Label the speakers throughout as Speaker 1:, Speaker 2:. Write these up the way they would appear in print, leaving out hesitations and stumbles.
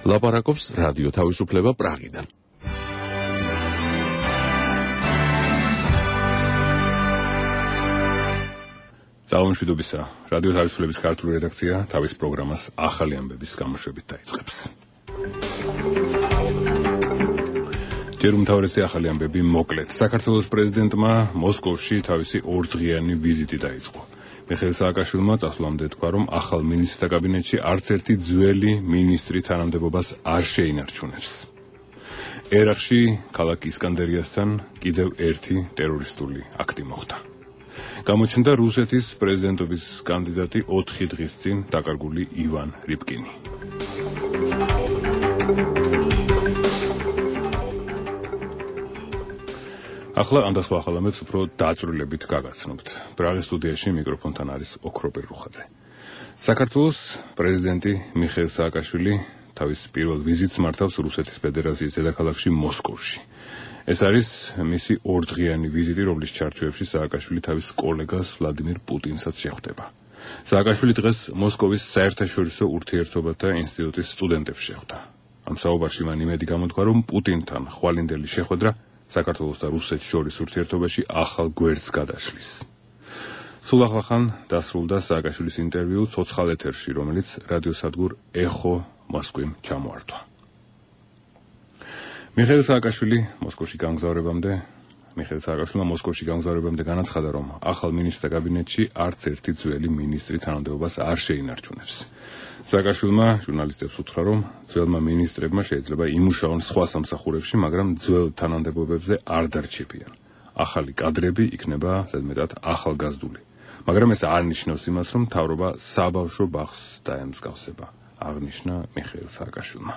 Speaker 1: ლაპარაკობს რადიო თავისუფლება პრაღიდან.
Speaker 2: ძალამშვიდობისა, რადიო თავისუფლების ქართული რედაქცია თავის პროგრამას ახალი ამბების გამოშვებით დაიწყებს. ჯერ უმთავრესი ახალი ამბები მოკლედ. საქართველოს პრეზიდენტმა მოსკოვში თავისი ორდღიანი ვიზიტი დაიწყო. მიხეილ სააკაშვილმა წასვლამდე თქვა, რომ ახალ მინისტრთა კაბინეტში არც ერთი ძველი მინისტრი თანამდებობას არ შეინარჩუნებს. ერაყში ქალაქ ისკანდერიასთან კიდევ ერთი ტერორისტული აქტი მოხდა. გამოჩნდა რუსეთის პრეზიდენტობის კანდიდატი 4 დღის წინ დაკარგული ივან რიბკინი. ახლა ამ და სხვა ახალ ამბებს უფრო დაწვრილებით გაგაცნობთ. პრაღის სტუდიაში მიკროფონთან არის ოქროპერ რუხაძე. საქართველოს პრეზიდენტი მიხეილ სააკაშვილი თავის პირველ ვიზიტს მართავს რუსეთის ფედერაციის დედაქალაქში მოსკოვში. ეს არის მისი ორდღიანი ვიზიტი, რომლის ჩარჩოებში სააკაშვილი თავის კოლეგას ვლადიმირ პუტინსაც შეხვდება. სააკაშვილი დღეს მოსკოვის საერთაშორისო ურთიერთობათა ინსტიტუტის სტუდენტებს შეხვდა. ამ საუბარში მან იმედი გამოთქვა, რომ პუტინთან ხვალინდელი შეხვედრა საქართველოს და რუსეთს შორის ურთიერთობაში ახალ გვერდს გადაშლის. სულ ახლახან დასრულდა სააკაშვილის ინტერვიუ ცოცხალ ეთერში, რომელიც რადიოსადგურ ეხო მოსკვიმ ჩამოართვა. მიხეილ სააკაშვილმა მოსკოვში გამგზავრებამდე განაცხადა, რომ ახალ მინისტრთა კაბინეტში არც ერთი ძველი მინისტრი თანამდებობას არ შეინარჩუნებს. სააკაშვილმა ჟურნალისტებს უთხრა, რომ ძველმა მინისტრებმა შეიძლება იმუშაონ სხვა სამსახურებში, მაგრამ ძველ თანამდებობებზე არ დარჩებიან. ახალი კადრები იქნება ზედმეტად ახალგაზრდული. მაგრამ ეს არ ნიშნავს იმას, რომ მთავრობა საბავშვო ბაღს დაემსგავსება, აღნიშნა მიხეილ სააკაშვილმა.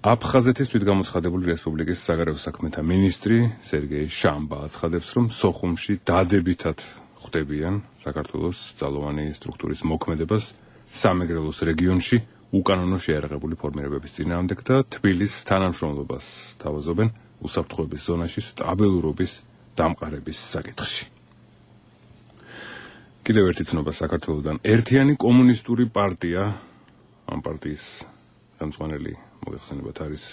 Speaker 2: აფხაზეთის თვითგამოცხადებული რესპუბლიკის საგარეო საქმეთა მინისტრი სერგეი შამბა აცხადებს, რომ სოხუმში დადებითად ხვდებიან საქართველოს ძალოვანი სტრუქტურის მოქმედებას სამეგრელოს რეგიონში უკანონო შეიარაღებული ფორმირებების წინააღმდეგ და თბილისის თანამშრომლობას თავაზობენ უსაფრთხოების ზონაში სტაბილურობის დამყარების საკითხში. კიდევ ერთი ცნობა საქართველოსდან. ერთიანი კომუნისტური პარტია, ამ პარტიის ხელმძღვანელი მოიხსენებათ არის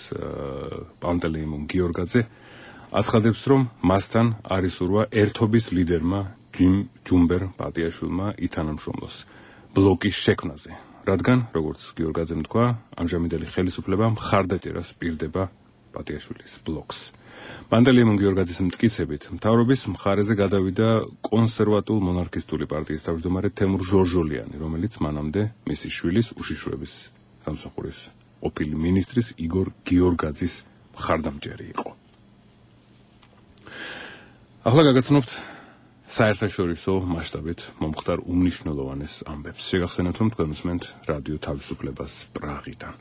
Speaker 2: პანტელეიმონ გიორგაძე, აცხადებს, რომ მასთან არის ურვა ერთობის ლიდერმა ჯუმბერ პატიაშვილმა ითანამშრომლოს ბლოკის შექმნაზე, რადგან, როგორც გიორგაძემ თქვა, ამჟამინდელი ხელისუფლება მხარდაჭერას პირდება პატიაშვილის ბლოკს. პანტელეიმონ გიორგაძის მტკიცებით, მთავრობის მხარეზე გადავიდა კონსერვატულ მონარქისტული პარტიის თავმჯდომარე თემურ ჟორჟოლიანი, რომელიც მანამდე მისი შვილის უშიშროების სამსახურის ყოფილი მინისტრის იგორ გიორგაძის მხარდამჭერი იყო. ახლა გაგაცნობთ საერთაშორისო მასშტაბით მომხდარ უმნიშვნელოვანეს ამბებს. შეგახსენებთ, რომ თქვენ უსმენთ რადიო თავისუფლებას პრაღიდან.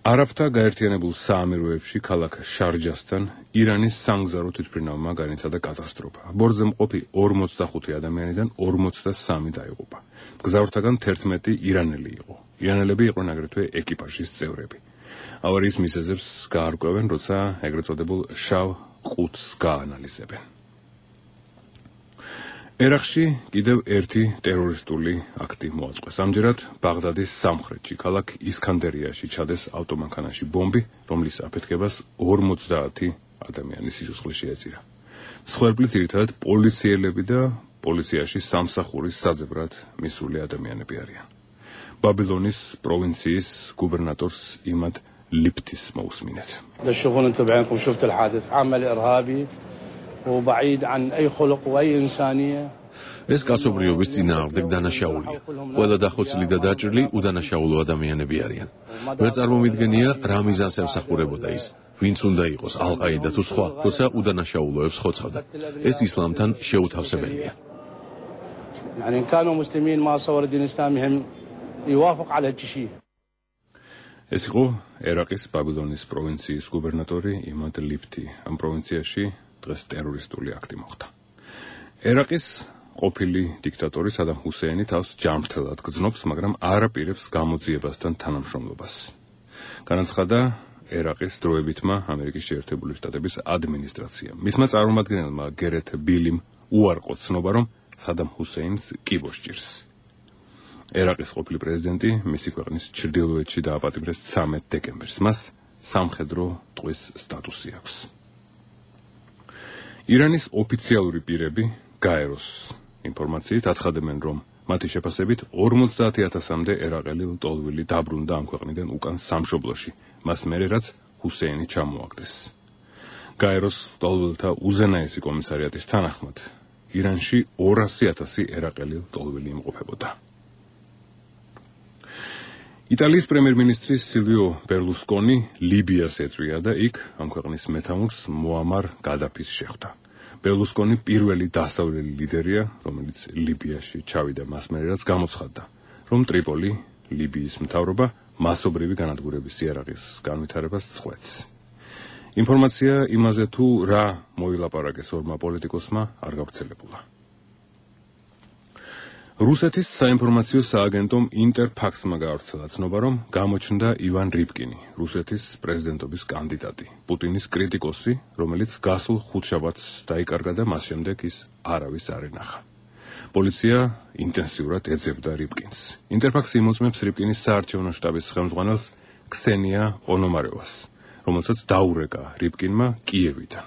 Speaker 2: არაბთა გაერთიანებულ საამიროებში ქალაქ შარჯასთან ირანის სამგზავრო თვითმფრინავმა განიცადა კატასტროფა. ბორტზე მყოფი 45 ადამიანიდან 43 დაიღუპა. მგზავრთაგან 11 ირანელი იყო. ირანელები იყვნენ აგრეთვე ეკიპაჟის წევრები. ავარიის მიზეზებს გაარკვევენ, როცა ეგრეთ წოდებულ შავ ყუთს გაანალიზებენ. ერაყში კიდევ ერთი ტერორისტული აქტი მოაწყვეს. ამჯერად ბაღდადის სამხრეთში, ქალაქ ისკანდერიაში ჩადეს ავტომანქანაში ბომბი, რომლის აფეთქებას 50 ადამიანის სიცოცხლე შეეწირა. მსხვერპლი ძირითადად პოლიციელები და პოლიციაში სამსახურის საძებრად მისული ადამიანები არიან. ბაბილონის პროვინციის გუბერნატორს იმად ლიფტის მოусმინეთ.
Speaker 1: ეს კაცობრიობის წინააღმდეგ დანაშაულია. ყველა დახოცილი და დაჭრილი უდანაშაულო ადამიანები არიან. ვერ წარმომიდგენია რა მიზანს ემსახურებოდა ის, ვინც უნდა იყოს ალ-ყაიდა თუ სხვა, როცა უდანაშაულოებს ხოცხავდა. ეს ისლამთან შეუთავსებელია.
Speaker 2: ეს იყო ერაყის ბაბილონის პროვინციის გუბერნატორი იმად ლიფტი. ამ პროვინციაში დღეს ტერორისტული აქტი მოხდა. ერაყის ყოფილი დიქტატორი სადამ ჰუსეინი თავს ჯანმრთელად გრძნობს, მაგრამ არ აპირებს გამოძიებასთან თანამშრომლობას. განაცხადა ერაყის დროებითმა ამერიკის შეერთებული შტატების ადმინისტრაციამ. მისმა წარმომადგენელმა გერეთ ბილიმ უარყო ცნობა, რომ სადამ ჰუსეინს კიბო სჭირს. ერაყის ყოფილი პრეზიდენტი მისი ქვეყნის ჩრდილოეთში დააპატიმრეს 13 დეკემბერს. მას სამხედრო ტყვის სტატუსი აქვს. ირანის ოფიციალური პირები გაეროს ინფორმაციით აცხადებენ, რომ მათი შეფასებით 50,000-მდე ერაყელი ლტოლვილი დაბრუნდა ამ ქვეყნიდან უკან სამშობლოში, მას მერე რაც ჰუსეინი ჩამოაგდეს. გაეროს ლტოლვილთა უზენაესი კომისარიატის თანახმად, ირანში 200,000 ერაყელი ლტოლვილი იმყოფებოდა. იტალიის პრემიერ-მინისტრი სილვიო ბერლუსკონი ლიბიას ეწვია და იქ ამ ქვეყნის მეთაურს მოამარ გადაფის შეხვდა. ბერლუსკონი პირველი დასავლელი ლიდერია, რომელიც ლიბიაში ჩავიდა მას მერე რაც გამოცხადდა, რომ ტრიპოლი, ლიბიის მთავრობა მასობრივი განადგურების იარაღის განვითარებას წყვეტს. ინფორმაცია იმაზე თუ რა მოილაპარაკეს ორმა პოლიტიკოსმა არ გავრცელებულა. რუსეთის საინფორმაციო სააგენტომ ინტერფაქსმა გაავრცელა ცნობა, რომ გამოჩნდა ივან რიბკინი, რუსეთის პრეზიდენტობის კანდიდატი, პუტინის კრიტიკოსი, რომელიც გასულ ხუთშაბათს დაიკარგა და მას შემდეგ ის არავის არ ენახა. პოლიცია ინტენსიურად ეძებდა რიბკინს. ინტერფაქსი იმოწმებს რიბკინის საარჩევნო შტაბის ხელმძღვანელს ქსენია პონომარევას, რომელსაც დაურეკა რიბკინმა კიევიდან.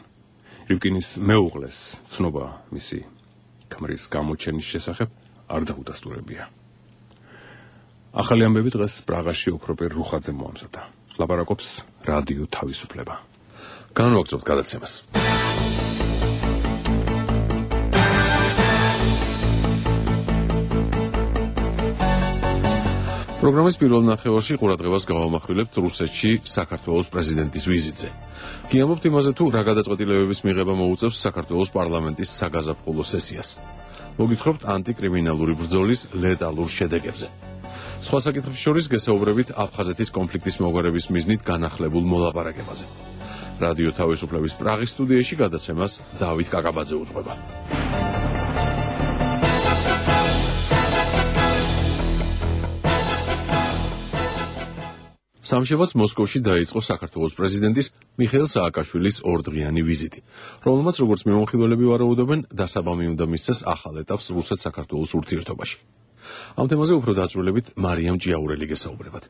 Speaker 2: რიბკინის მეუღლეს ცნობა მისი ქმრის გამოჩენის შესახებ არ დაუდასტურებია. ახალი ამბები დღეს პრაღაში ოქროპერ რუხაძემ მოამზადა. ლაპარაკობს რადიო თავისუფლება.
Speaker 1: განვაგრძობთ გადაცემას. პროგრამის პირველ ნახევარში ყურადღებას გავამახვილებთ რუსეთში საქართველოს პრეზიდენტის ვიზიტზე. გიამბობთ იმაზე თუ რა გადაწყვეტილებების მიღება მოუწევს საქართველოს პარლამენტის საგაზაფხულო სესიას. მოგითხრობთ ანტიკრიმინალური ბრძოლის ლეტალურ შედეგებზე. სხვა საკითხებს შორის გესაუბრებით აფხაზეთის კონფლიქტის მოგვარების მიზნით განახლებულ მოლაპარაკებაზე. რადიო თავისუფლების პრაღის სტუდიაში გადაცემას დავით კაკაბაძე უძღვება. სამშაბათს მოსკოვში დაიწყო საქართველოს პრეზიდენტის მიხეილ სააკაშვილის ორდღიანი ვიზიტი, რომელმაც როგორც მიმოხილველები ვარაუდობენ, დასაბამი უნდა მისცეს ახალ ეტაპს რუსეთ-საქართველოს ურთიერთობაში. ამ თემაზე უფრო დაწვრილებით მარიამ ჭიაურელი გესაუბრებათ.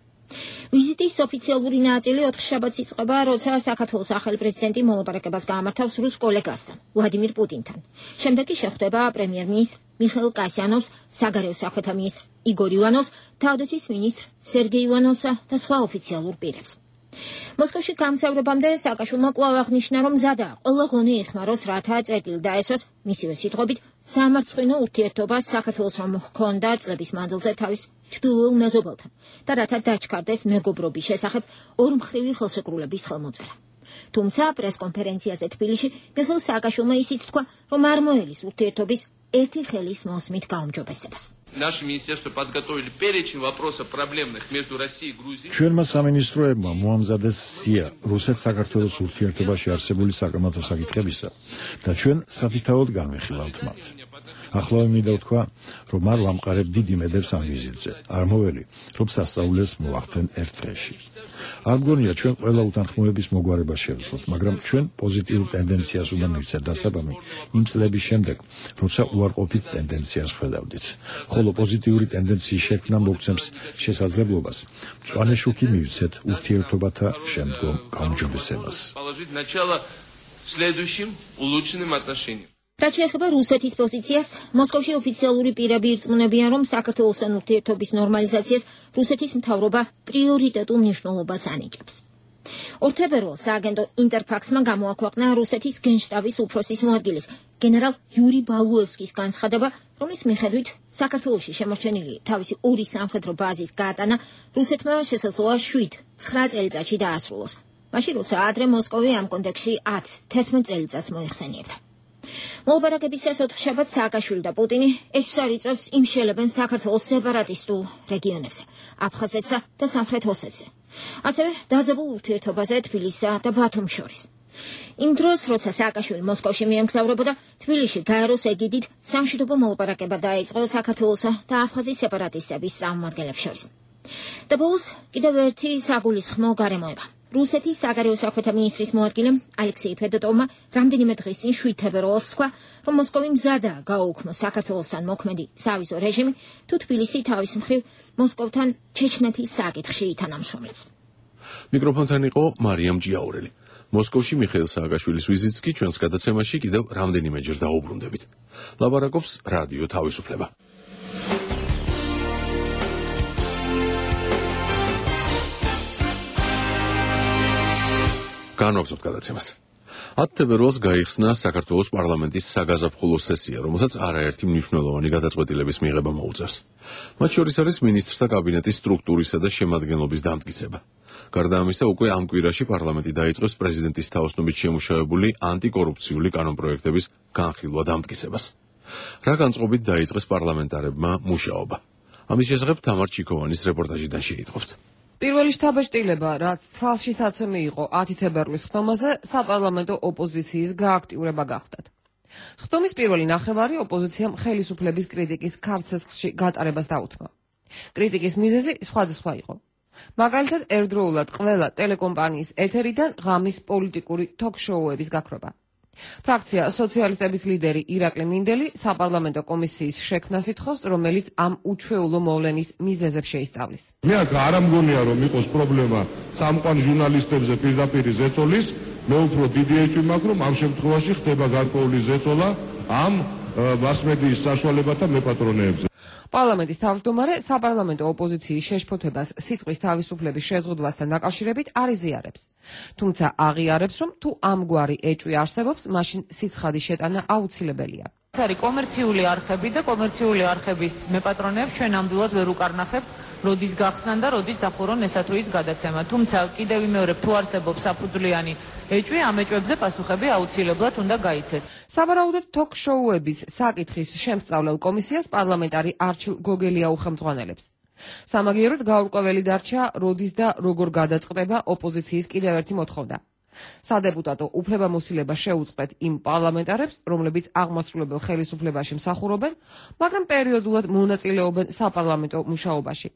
Speaker 3: ვიზიტის ოფიციალური ნაწილი 4 შაბათს იწყება, როცა საქართველოს ახალი პრეზიდენტი მოლაპარაკებას გაამართავს რუს კოლეგასთან, ვლადიმირ პუტინთან. შემდეგ კი შეხვდება პრემიერ-მინისტრ მიხეილ კასიანოვს, საგარეო საქმეთა მინისტრ იგორ ივანოვს, თავდაცვის მინისტრ სერგეი ივანოვსა და სხვა ოფიციალურ პირებს. მოსკოვში გამგზავრებამდე სააკაშვილმა კვლავ აღნიშნა, რომ მზადაა ყველა ღონე იხმაროს, რათა წერტილი დაესვას, მისივე სიტყვებით, სამარცხვინო ურთიერთობას საქართველოს რომ ჰქონდა წლების მანძილზე თავის ჩრდილოელ მეზობელთან და რათა დაჩქარდეს მეგობრობის შესახებ ორმხრივი ხელშეკრულების ხელმოწერა. თუმცა პრესკონფერენციაზე თბილისში მიხეილ სააკაშვილმა ისიც თქვა, რომ არ მოელის ურთიერთობის ერთი ხელის მოსმით გაუმჯობესებას.
Speaker 4: Наше министерство подготовили перечень вопросов проблемных между Россией и Грузией.
Speaker 5: ჩვენმა სამინისტროებმა მოამზადეს სია რუსეთ-საქართველოს ურთიერთობაში არსებული საკამათო საკითხებისა და ჩვენ საფრთხეოდ განვიხილავთ მათ. ახლა მინდა ვთქვა, რომ არ ვამყარებ დიდი მედებს ამ ვიზიტზე. არ მოველი, რომ სასწაულებს მოვახდენ ერთ დღეში. არ მგონია ჩვენ ყველა უთანხმოების მოგვარებას შევძლოთ, მაგრამ ჩვენ პოზიტიურ ტენდენციას უნდა მივცეთ დასაბამი იმ წლების შემდეგ, როცა უარყოფით ტენდენციას ხედავდით. ხოლო პოზიტიური ტენდენციის შექმნა მოგცემს შესაძლებლობას მწვანე შუქი მივცეთ ურთიერთობათა შემდგომ გაუმჯობესებას.
Speaker 3: რაც შეეხება რუსეთის პოზიციას, მოსკოვში ოფიციალური პირები ირწმუნებიან, რომ საქართველოსთან ურთიერთობის ნორმალიზაციას რუსეთის მთავრობა პრიორიტეტულ მნიშვნელობას ანიჭებს. ორთებერვალ სააგენტო ინტერფაქსმა გამოაქვეყნა რუსეთის გენშტაბის უფროსის მოადგილის გენერალ იური ბალუევსკის განცხადება, რომლის მიხედვით საქართველოში შემორჩენილი თავისი ორი სამხედრო ბაზის გაატანა რუსეთმა შესაძლოა 7-9 წელიწადში დაასრულოს, მაშინ როცა ადრე მოსკოვი ამ კონტექსტში 10-11 წელიწადს მოიხსენიებდა. მოლაპარაკებისას 4 შაბათს სააკაშვილი და პუტინი ეჭვს არ იწვევს იმშელებენ საქართველოს სეპარატისტულ რეგიონებზე, აფხაზეთსა და სამხრეთ ოსეთზე. ასევე დაძაბულ ურთიერთობაზე თბილისსა და ბათუმს შორის. იმ დროს, როცა სააკაშვილი მოსკოვში მიემგზავრებოდა, თბილისში გაეროს ეგიდით სამშვიდობო მოლაპარაკება დაიწყო საქართველოსა და აფხაზის სეპარატისტების წარმომადგენლებს შორის. და ბოლოს კიდევ ერთი საგულისხმო გარემოება. რუსეთის საგარეო საქმეთა მინისტრის მოადგილემ ალექსეი ფედოტოვმა რამდენიმე დღის წინ 7 თებერვალს თქვა, რომ მოსკოვი მზადაა გააუქმოს საქართველოსთან მოქმედი სავიზო რეჟიმი, თუ თბილისი თავის მხრივ მოსკოვთან ჩეჩნეთის საკითხში ითანამშრომლებს.
Speaker 1: მიკროფონთან იყო მარიამ ჭიაურელი. მოსკოვში მიხეილ სააკაშვილის ვიზიტს კი ჩვენს გადაცემაში კიდევ რამდენიმეჯერ დაუბრუნდებით. ლაბარაკობს რადიო თავისუფლება. განვაგრძობთ გადაცემას. 10 თებერვალს გაიხსნა საქართველოს პარლამენტის საგაზაფხულო სესია, რომელსაც არაერთი მნიშვნელოვანი გადაწყვეტილების მიღება მოუწევს. მათ შორის არის მინისტრთა კაბინეტის სტრუქტურისა და შემადგენლობის დამტკიცება. გარდა ამისა, უკვე ამ კვირაში პარლამენტი დაიწყებს პრეზიდენტის თაოსნობით შემუშავებული ანტიკორუფციული კანონპროექტების განხილვა დამტკიცებას. რა განწყობით დაიწყეს პარლამენტარებმა მუშაობა? ამის შესახებ თამარ ჩიქოვანის რეპორტაჟიდან შეიტყობთ.
Speaker 6: პირველი შთაბეჭდილება, რაც თვალში საცემი იყო 10 თებერვლის ხდომაზე, საპარლამენტო ოპოზიციის გააქტიურება გახდათ. ხდომის პირველი ნახევარი ოპოზიციამ ხელისუფლების კრიტიკის ქარცესხლში გატარებას დაუთმო. კრიტიკის მიზეზი სხვადასხვა იყო. მაგალითად, ერთდროულად ყველა ტელეკომპანიის ეთერიდან ღამის პოლიტიკური თოქ-შოუების გაქრობა. ფრაქცია სოციალისტების ლიდერი ირაკლი მინდელი საპარლამენტო კომისიის შექმნას ითხოვს, რომელიც ამ უჩვეულო მოვლენის მიზეზებს შეისწავლის.
Speaker 7: მე არ მგონია, რომ იყოს პრობლემა წამყვან ჟურნალისტებზე პირდაპირ ზეწოლის, მე უფრო დიდი ეჭვი მაქვს, რომ ამ შემთხვევაში ხდება გარკვეული ზეწოლა ამ მასმედიის საშუალებათა მეპატრონეებზე.
Speaker 6: პარლამენტის თავმჯდომარე საპარლამენტო ოპოზიციის შეშფოთებას სიტყვის თავისუფლების შეზღუდვასთან დაკავშირებით არ იზიარებს. თუმცა აღიარებს, რომ თუ ამგვარი ეჭვი არსებობს, მაშინ სიცხადის შეტანა აუცილებელია.
Speaker 8: ეს არის კომერციული არხები და კომერციული არხების მეპატრონეებს ჩვენ ნამდვილად ვერ უკარნახებთ, როდის გახსნან და როდის დახურონ ესა თუ ის გადაცემა. თუმცა კიდევ ვიმეორებ, თუ არსებობს საფუძვლიანი ეჭვი, ამ ეჭვებზე პასუხები აუცილებლად უნდა გაიცეს.
Speaker 6: სავარაუდოდ თოქ-შოუების საკითხის შემსწავლელ კომისიას პარლამენტარი არჩილ გოგელია უხელმძღვანელებს. სამაგიეროდ გაურკვეველი დარჩა, როდის და როგორ გადაწყდება ოპოზიციის კიდევ ერთი მოთხოვნა. სადეპუტატო უფლებამოსილება შეუწყეთ იმ პარლამენტარებს, რომლებიც აღმასრულებელ ხელისუფლებაში მსახურობენ, მაგრამ პერიოდულად მონაწილეობენ საპარლამენტო მუშაობაში.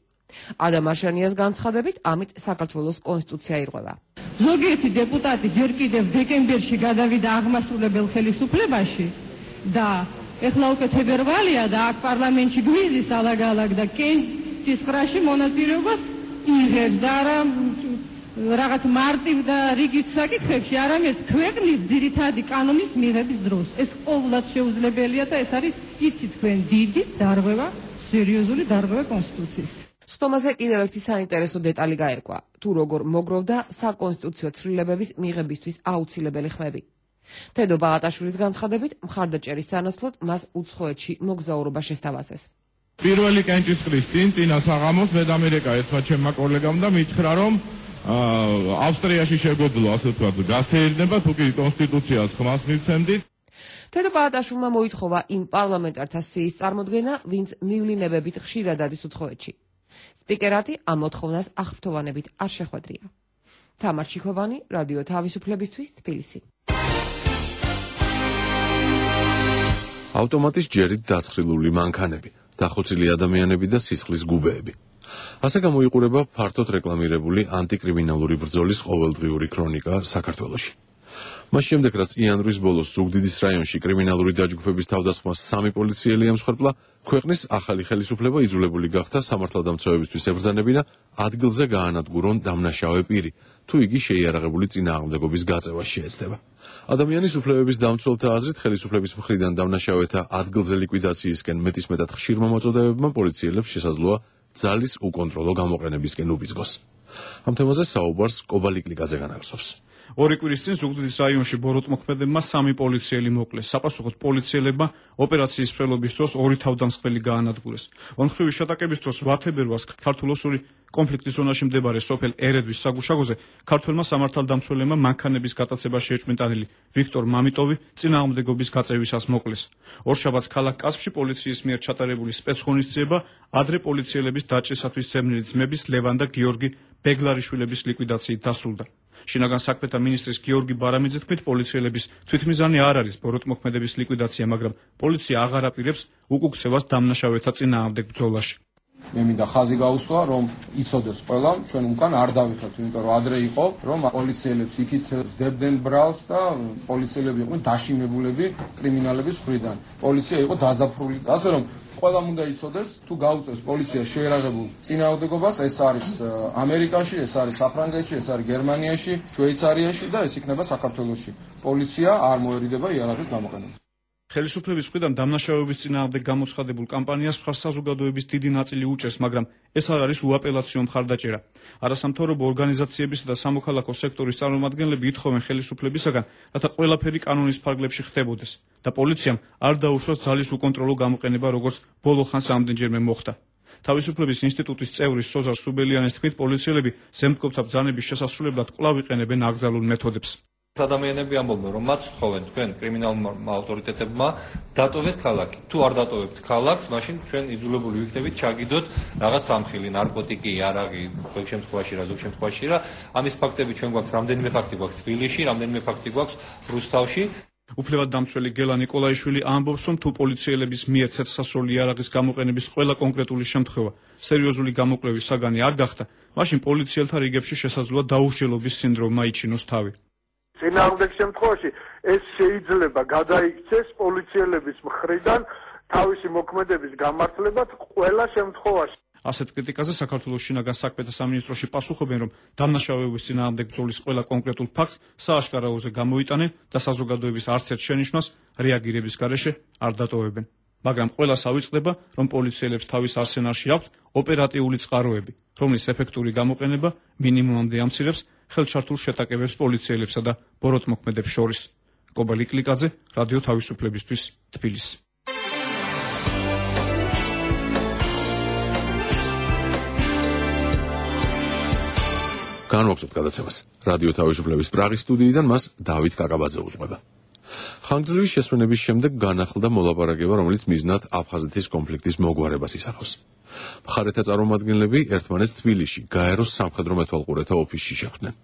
Speaker 6: ადამ არშანიას განცხადებით, ამით საქართველოს კონსტიტუცია ირღვევა.
Speaker 9: ზოგიერთი დეპუტატი ჯერ კიდევ დეკემბერში გადავიდა აღმასრულებელ ხელისუფლებაში და ეხლა უკვე თებერვალია და აქ პარლამენტში გვიზის ალაგ-ალაგ და კენჭის ყრაში მონაწილეობას იღებს და არა რაღაც მარტივ და რიგით საკითხებში, არამედ ქვეყნის ძირითადი კანონის მიღების დროს. ეს ყოველად შეუძლებელია და ეს არის, იცით თქვენ, დიდი დარღვევა, სერიოზული დარღვევა კონსტიტუციის.
Speaker 6: ხდომაზე კიდევ ერთი საინტერესო დეტალი გაერკვა, თუ როგორ მოგროვდა საკონსტიტუციო ცვლილებების მიღებისთვის აუცილებელი ხმები. თედო ბაღატაშვილის განცხადებით, მხარდაჭერის სანაცვლოდ მას უცხოეთში მოგზაურობა შესთავაზეს.
Speaker 7: პირველი კენჭისყრის წინ ტინა საღამოს მე და ამერიკა ერთმა ჩემმა კოლეგამ და მითხრა, რომ ავსტრიაში შეგვეძლო, ასე ვთქვათ, გასეირნება, თუ კი კონსტიტუციას ხმას მივცემდით.
Speaker 6: თედო ბაღატაშვილმა მოითხოვა იმ პარლამენტართა სიის წარმოდგენა, ვინც მივლინებებით ხშირად ადის უცხოეთში. სპიკერატი ამ მოთხოვნას აღფრთოვანებით არ შეხვედრია. თამარ ჩიქოვანი, რადიო თავისუფლებისთვის, თბილისი.
Speaker 1: ავტომატის ჯერით დაცხრილული მანქანები, დახოცილი ადამიანები და სისხლის გუბეები. ასე გამოიყურება ფართოდ რეკლამირებული ანტიკრიმინალური ბრძოლის ყოველდღიური ქრონიკა საქართველოში. მას შემდეგ, რაც იანვრის ბოლოს ზუგდიდის რაიონში კრიმინალური დაჯგუფების თავდასხმას 3 პოლიციელი ემსხვერპლა, ქვეყნის ახალი ხელისუფლება იძულებული გახდა სამართალდამცავებისთვის ებრძანებინა ადგილზე გაანადგურონ დამნაშავე პირი, თუ იგი შეიარაღებული წინააღმდეგობის გაწევას შეეცდება. ადამიანის უფლებების დამცველთა აზრით, ხელისუფლების მხრიდან დამნაშავეთა ადგილზე ლიკვიდაციისკენ მეტისმეტად ხშირმა მოწოდებებმა პოლიციელებს შესაძლოა ძალის უკონტროლო გამოყენებისკენ უბიძგოს. ამ თემაზე საუბარს კობალიკლიკაძე განაგრძობს.
Speaker 10: 2 კვირის წინ ზუგდიდის რაიონში ბოროტმოქმედებმა 3 პოლიციელი მოკლეს. საპასუხოდ პოლიციელებმა ოპერაციის მსვლელობის დროს 2 თავდამსხმელი გაანადგურეს. ონხრივი შეტაკების დროს 8 თებერვალს ქართულ-ოსური კონფლიქტის ზონაში მდებარე სოფელ ერედვის საგუშაგოზე ქართველმა სამართალდამცველებმა მანქანების გატაცებაში ეჭვმიტანილი ვიქტორ მამიტოვი წინააღმდეგობის გაწევისას მოკლეს. ორშაბათს ქალაქ კასპში პოლიციის მიერ ჩატარებული სპეცღონისძიება ადრე პოლიციელების დაჭრისათვის ძებნილი ძმების ლევან და გიორგი ბეგლარიშვილების ლიკვიდაციით დასრულდა. შინაგან საქმეთა მინისტრის გიორგი ბარამიძის თქმით, პოლიციელების თვითმიზანი არ არის ბოროტმოქმედების ლიკვიდაცია, მაგრამ პოლიცია აღარ აპირებს უკუქცევას დამნაშავეთა წინააღმდეგ ბრძოლაში.
Speaker 11: მე მინდა ხაზი გაუსვა, რომ იცოდეს ყველა, ჩვენ უკან არ დავიხებთ, იმიტომ რომ ადრე იყო, რომ პოლიციელებს იქით ზდებდნენ ბრალს და პოლიციელები იყვნენ დაშინებულები კრიმინალების მხრიდან. პოლიცია იყო დაზაფრული. ასე რომ ყველამ უნდა იცოდეს, თუ გაუწევს პოლიცია შეერაღებულ წინააღმდეგობას, ეს არის ამერიკაში, ეს არის საფრანგეთში, ეს არის გერმანიაში, შვეიცარიაში და ეს იქნება საქართველოში. პოლიცია არ მოერიდება იარაღის გამოყენებას.
Speaker 10: ხელისუფლების მხრიდან დამნაშავეობის წინააღმდეგ გამოცხადებულ კამპანიას მხარს საზოგადოების დიდი ნაწილი უჭერს, მაგრამ ეს არ არის უაპელაციო მხარდაჭერა. არასამთავრობო ორგანიზაციებისა და სამოქალაქო სექტორის წარმომადგენლები ითხოვენ ხელისუფლებისაგან, რათა ყველაფერი კანონის ფარგლებში ხდებოდეს და პოლიციამ არ დაუშვას ძალის უკონტროლო გამოყენება, როგორც ბოლო ხანს ამდენჯერმე მოხდა. თავისუფლების ინსტიტუტის წევრი სოზარ სუბელიანის თქმით, პოლიციელები ზემდგომთა ბრძანების შესასრულებლად კვლავ იყენებენ აკრძალულ მეთოდებს.
Speaker 12: ადამიანები ამბობენ, რომ მათ თხოვენ თქვენ კრიმინალურმა ავტორიტეტებმა დატოვეთ ქალაქი. თუ არ დატოვებთ ქალაქს, მაშინ ჩვენ იძულებული ვიქნებით ჩაგიდოთ რაღაც სამხილი, ნარკოტიკი, იარაღი, ზოგ შემთხვევაში რა. ამის ფაქტები ჩვენ გვაქვს, რამდენიმე ფაქტი გვაქვს თბილისში, რამდენიმე ფაქტი გვაქვს რუსთავში.
Speaker 10: უფლებად დამცველი გელა ნიკოლაიშვილი ამბობს, რომ თუ პოლიციელების მიერ ცეცხლსასროლი იარაღის გამოყენების ყველა კონკრეტული შემთხვევა სერიოზული გამოკვლევის საგანი არ გახდა, მაშინ პოლიციელთა რიგებში შესაძლოა დაუსჯელობის სინდრომმა იჩინოს თავი.
Speaker 13: წინააღმდეგ შემთხვევაში ეს შეიძლება გადაიქცეს პოლიციელების მხრიდან თავისი მოქმედების გამართლებად ყველა შემთხვევაში.
Speaker 10: ასეთ კრიტიკაზე საქართველოს შინაგან საქმეთა სამინისტროში პასუხობენ, რომ დამნაშავეობის წინააღმდეგ ბრძოლის ყველა კონკრეტულ ფაქტს სააშკარაოზე გამოიტანენ და საზოგადოების არც ერთ შენიშვნას რეაგირების გარეშე არ დატოვებენ. მაგრამ ყველას ავიწყდება, რომ პოლიციელებს თავის არსენალში აქვთ ოპერატიული წყაროები, რომლის ეფექტური გამოყენება მინიმუმამდე ამცირებს ხელჩართულ შეტაკებებს პოლიციელებსა და ბოროტმოქმედებს შორის. კობალი კლიკაძე, რადიო თავისუფლებისთვის, თბილისი.
Speaker 1: განვაგრძობთ გადაცემას. რადიო თავისუფლების პრაღის სტუდიიდან მას დავით კაკაბაძე უძღვება. ხანგრძლივი შესვენების შემდეგ განახლდა მოლაპარაკება, რომელიც მიზნად აფხაზეთის კონფლიქტის მოგვარებას ისახავს. მხარეთა წარმომადგენლები ერთმანეთს თბილისში, გაეროს სამხედრო მეთვალყურეთა ოფისში შეხვდნენ.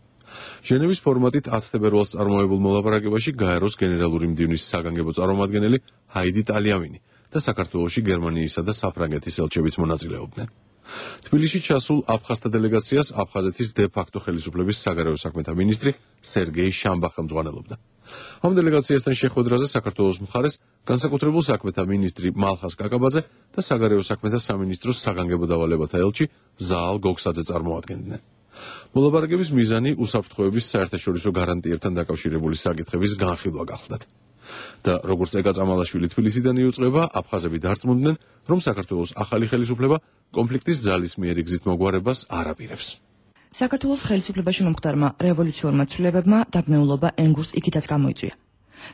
Speaker 1: ჟენევის ფორმატით 10 თებერვალს წარმოებულ მოლაპარაკებაში გაეროს გენერალური მდივნის საგანგებო წარმომადგენელი ჰაიდი ტალიამინი და საქართველოში გერმანიისა და საფრანგეთის ელჩებიც მონაწილეობდნენ. თბილისში ჩასულ აფხაზთა დელეგაციას აფხაზეთის დე-ფაქტო ხელისუფლების საგარეო საქმეთა მინისტრი სერგეი შამბა ხელმძღვანელობდა. ამ დელეგაციასთან შეხვედრაზე საქართველოს მხარეს განსაკუთრებულ საქმეთა მინისტრი მალხას კაკაბაძე და საგარეო საქმეთა სამინისტროს საგანგებო დავალებათა ელჩი ზაალ გოგსაძე წარმოადგენდნენ. მოლაპარაკების მიზანი უსაფრთხოების საერთაშორისო გარანტიებთან დაკავშირებული საკითხების განხილვა გახლდათ. და როგორც ეგა წამალაშვილი თბილისიდან იუწყება, აფხაზები დარწმუნდნენ, რომ საქართველოს ახალი ხელისუფლება კონფლიქტის ძალისმიერი გზით მოგვარებას არ აპირებს.
Speaker 14: საქართველოს ხელისუფლებაში მომხდარმა რევოლუციურმა ცვლილებებმა დაბმეულობა ენგურს იქითაც გამოიწვია.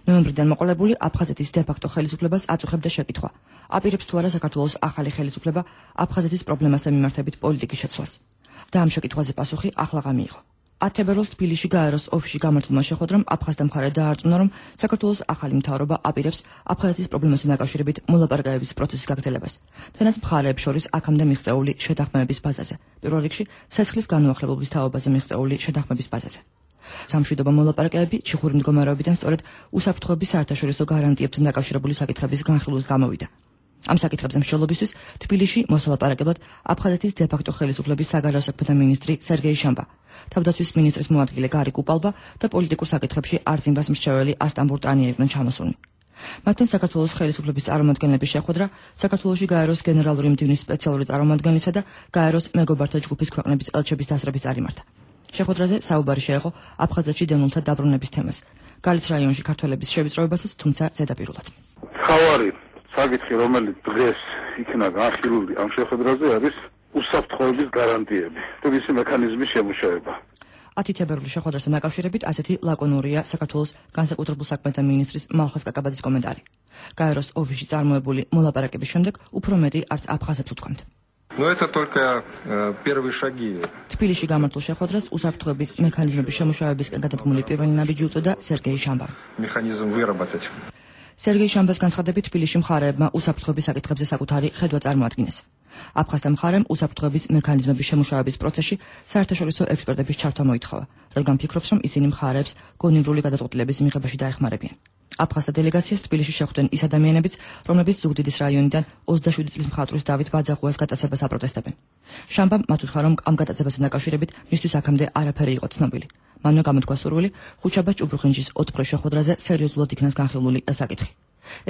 Speaker 14: ნოემბრიდან მოყოლებული აფხაზეთის დე-ფაქტო ხელისუფლებას აწუხებდა შეკითხვა: აპირებს თუ არა საქართველოს ახალი ხელისუფლება აფხაზეთის პრობლემასთან მიმართებით პოლიტიკის შეცვლას? და ამ შეკითხვაზე პასუხი ახლაღა მიიღო. 10 თებერვალს თბილისში გაეროს ოფისში გამართულმა შეხვედრამ აფხაზთა მხარე დაარწმუნა, რომ საქართველოს ახალი მთავრობა აპირებს აფხაზეთის პრობლემასთან დაკავშირებით მოლაპარაკებების პროცესის გაგრძელებას, თანაც მხარეებს შორის აქამდე მიღწეული შეთანხმებების ბაზაზე, პირველ რიგში ცეცხლის განუახლებობის თაობაზე მიღწეული შეთანხმების ბაზაზე. სამშვიდობო მოლაპარაკებები ჩიხური მდგომარეობიდან სწორედ უსაფრთხოების საერთაშორისო გარანტიებთან დაკავშირებული საკითხების განხილვით გამოვიდა. ამ საკითხებზე მსჯელობისთვის თბილისში მოსალაპარაკებლად აფხაზეთის დე-ფაქტო ხელისუფლების საგარეო საქმეთა მინისტრი სერგეი შამბა, თავდაცვის მინისტრის მოადგილე გარი კუპალბა და პოლიტიკურ საკითხებში არწინბას მრჩეველი ასტან ბურტანია იყვნენ ჩამოსულნი. მათთან საქართველოს ხელისუფლების წარმომადგენლების შეხვედრა საქართველოში გაეროს გენერალური მდივნის სპეციალური წარმომადგენლისა და გაეროს მეგობართა ჯგუფის ქვეყნების ელჩების დასწრებით წარიმართა. შეხვედრაზე საუბარი შეეხო აფხაზეთში დევნილთა დაბრუნების თემას, გალის რაიონში ქართველების შევიწროებასაც, თუმცა ზედაპირულად.
Speaker 13: საკითხი, რომელიც დღეს იქნა განხილული ამ შეხვედრაზე, არის უსაფრთხოების გარანტიები და მისი მექანიზმის შემუშავება.
Speaker 14: 10 თებერვლის შეხვედრასთან დაკავშირებით ასეთი ლაკონურია საქართველოს განსაკუთრებულ საქმეთა მინისტრის მალხას კაკაბაძის კომენტარი. გაეროს ოფისში წარმოებული მოლაპარაკების შემდეგ უფრო მეტი არც აფხაზებს უთქვამთ.
Speaker 15: Но это только первые шаги.
Speaker 14: თბილისში გამართულ შეხვედრას უსაფრთხოების მექანიზმების შემუშავებისკენ გადადგმული პირველი ნაბიჯი უწოდა სერგეი შამბამ.
Speaker 15: Механизм выработать.
Speaker 14: სერგეი შამბას განცხადებით თბილისში მხარეებმა უსაფრთხოების საკითხებზე საკუთარი ხედვა წარმოადგინეს. აფხაზთა მხარემ უსაფრთხოების მექანიზმების შემუშავების პროცესში საერთაშორისო ექსპერტების ჩართვა მოითხოვა, რადგან ფიქრობს, რომ ისინი მხარეებს გონივრული გადაწყვეტილების მიღებაში დაეხმარებიან. აფხაზთა დელეგაციას თბილისში შეხვდნენ ის ადამიანებიც, რომლებიც ზუგდიდის რაიონიდან 27 წლის მხატვრის დავით ბაძაღუას გატაცებას აპროტესტებენ. შამბამ მათ უთხრა, რომ ამ გატაცებასთან დაკავშირებით მისთვის აქამდე არაფერი იყო ცნობილი. მანვე გამოთქვა სურვილი ხუთშაბათ ჭუბრუხინჯის ოთხფრე შეხვედრაზე სერიოზულად იქნას განხილული საკითხი.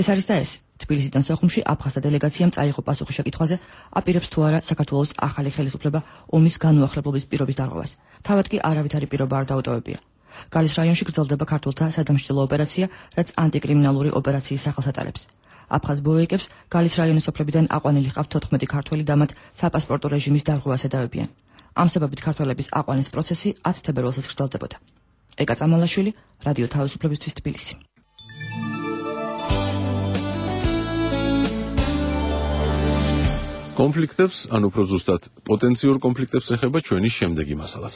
Speaker 14: ეს არის და ეს. თბილისიდან სოხუმში აფხაზთა დელეგაციამ წაიღო პასუხი შეკითხვაზე, აპირებს თუ არა საქართველოს ახალი ხელისუფლება ომის განუახლებლობის პირობის დარღვევას. თავად კი არავითარი პირობა არ დაუტოვებია. გალის რაიონში გრძელდება ქართულთა სადამსჯელო ოპერაცია, რაც ანტიკრიმინალური ოპერაციის სახელს ატარებს. აფხაზ ბოეკებს გალის რაიონის სოფლებიდან აყვანილი ჰყავთ 14 ქართველი და მათ საპასპორტო რეჟიმის დარღვევას ედავებიან. ამ საბაბით ქართველების აყვანის პროცესი 10 თებერვალსაც გრძელდებოდა. ეკა წამალაშვილი, რადიო თავისუფლებისთვის თბილისი.
Speaker 1: კონფლიქტებს, ან უფრო ზუსტად, პოტენციურ კონფლიქტებს ეხება ჩვენი შემდეგი მასალაც.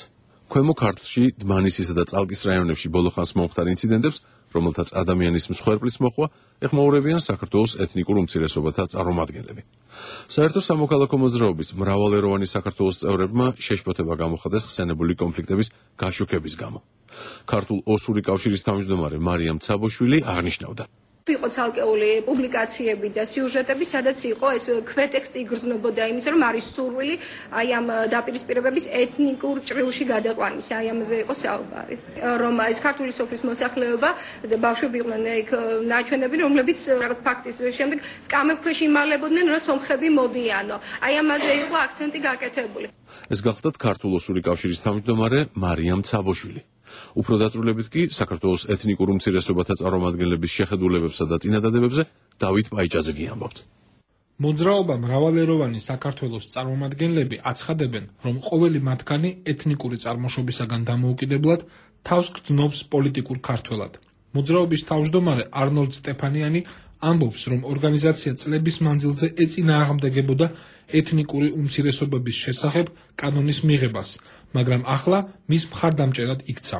Speaker 1: ქვემო ქართლში, დმანისისა და წალკის რაიონებში ბოლო ხანს მომხდარ ინციდენტებს, რომელთაც ადამიანის მსხვერპლის მოხვა, ეხმაურებიან საქართველოს ეთნიკურ უმცირესობათა წარმომადგენლები. საერთო სამოქალაქო მოძრაობის მრავალეროვანი საქართველოს წევრებმა შეშფოთება გამოხატეს ხსენებული კონფლიქტების გაშუქების გამო. ქართულ ოსური კავშირის თავმჯდომარე მარიამ ცაბოშვილი აღნიშნავდა.
Speaker 16: იყო ცალკეული პუბლიკაციები და სიუჟეტები, სადაც იყო ეს ქვეტექსტი იგრძნობოდა იმის, რომ არის სურვილი აი ამ დაპირისპირებების ეთნიკურ ჭრილში გადაყვანის, აი ამაზე იყო საუბარი. რომ ეს ქართული სოფლის მოსახლეობა და ბავშვები იყვნენ იქ ნაჩვენები, რომლებიც რაღაც ფაქტის შემდეგ სკამებ ქვეშ იმალებოდნენ, რომ სომხები მოდიანო. აი ამაზე იყო აქცენტი გაკეთებული.
Speaker 1: ეს გახლდათ ქართულ ოსური კავშირის თავმჯდომარე მარიამ ცაბოშვილი. უფრო დაწვრილებით კი საქართველოს ეთნიკურ უმცირესობათა წარმომადგენლების შეხედულებებსა და წინადადებებზე დავით პაიჭაძე ამბობთ.
Speaker 17: მოძრაობა მრავალეროვანი საქართველოს წარმომადგენლები აცხადებენ, რომ ყოველი მათგანი ეთნიკური წარმოშობისაგან დამოუკიდებლად თავს გრძნობს პოლიტიკურ ქართველად. მოძრაობის თავმჯდომარე არნოლდ სტეფანიანი ამბობს, რომ ორგანიზაცია წლების მანძილზე ეწინააღმდეგებოდა ეთნიკური უმცირესობების შესახებ კანონის მიღებას, მაგრამ ახლა მის მხარდამჭერად იქცა.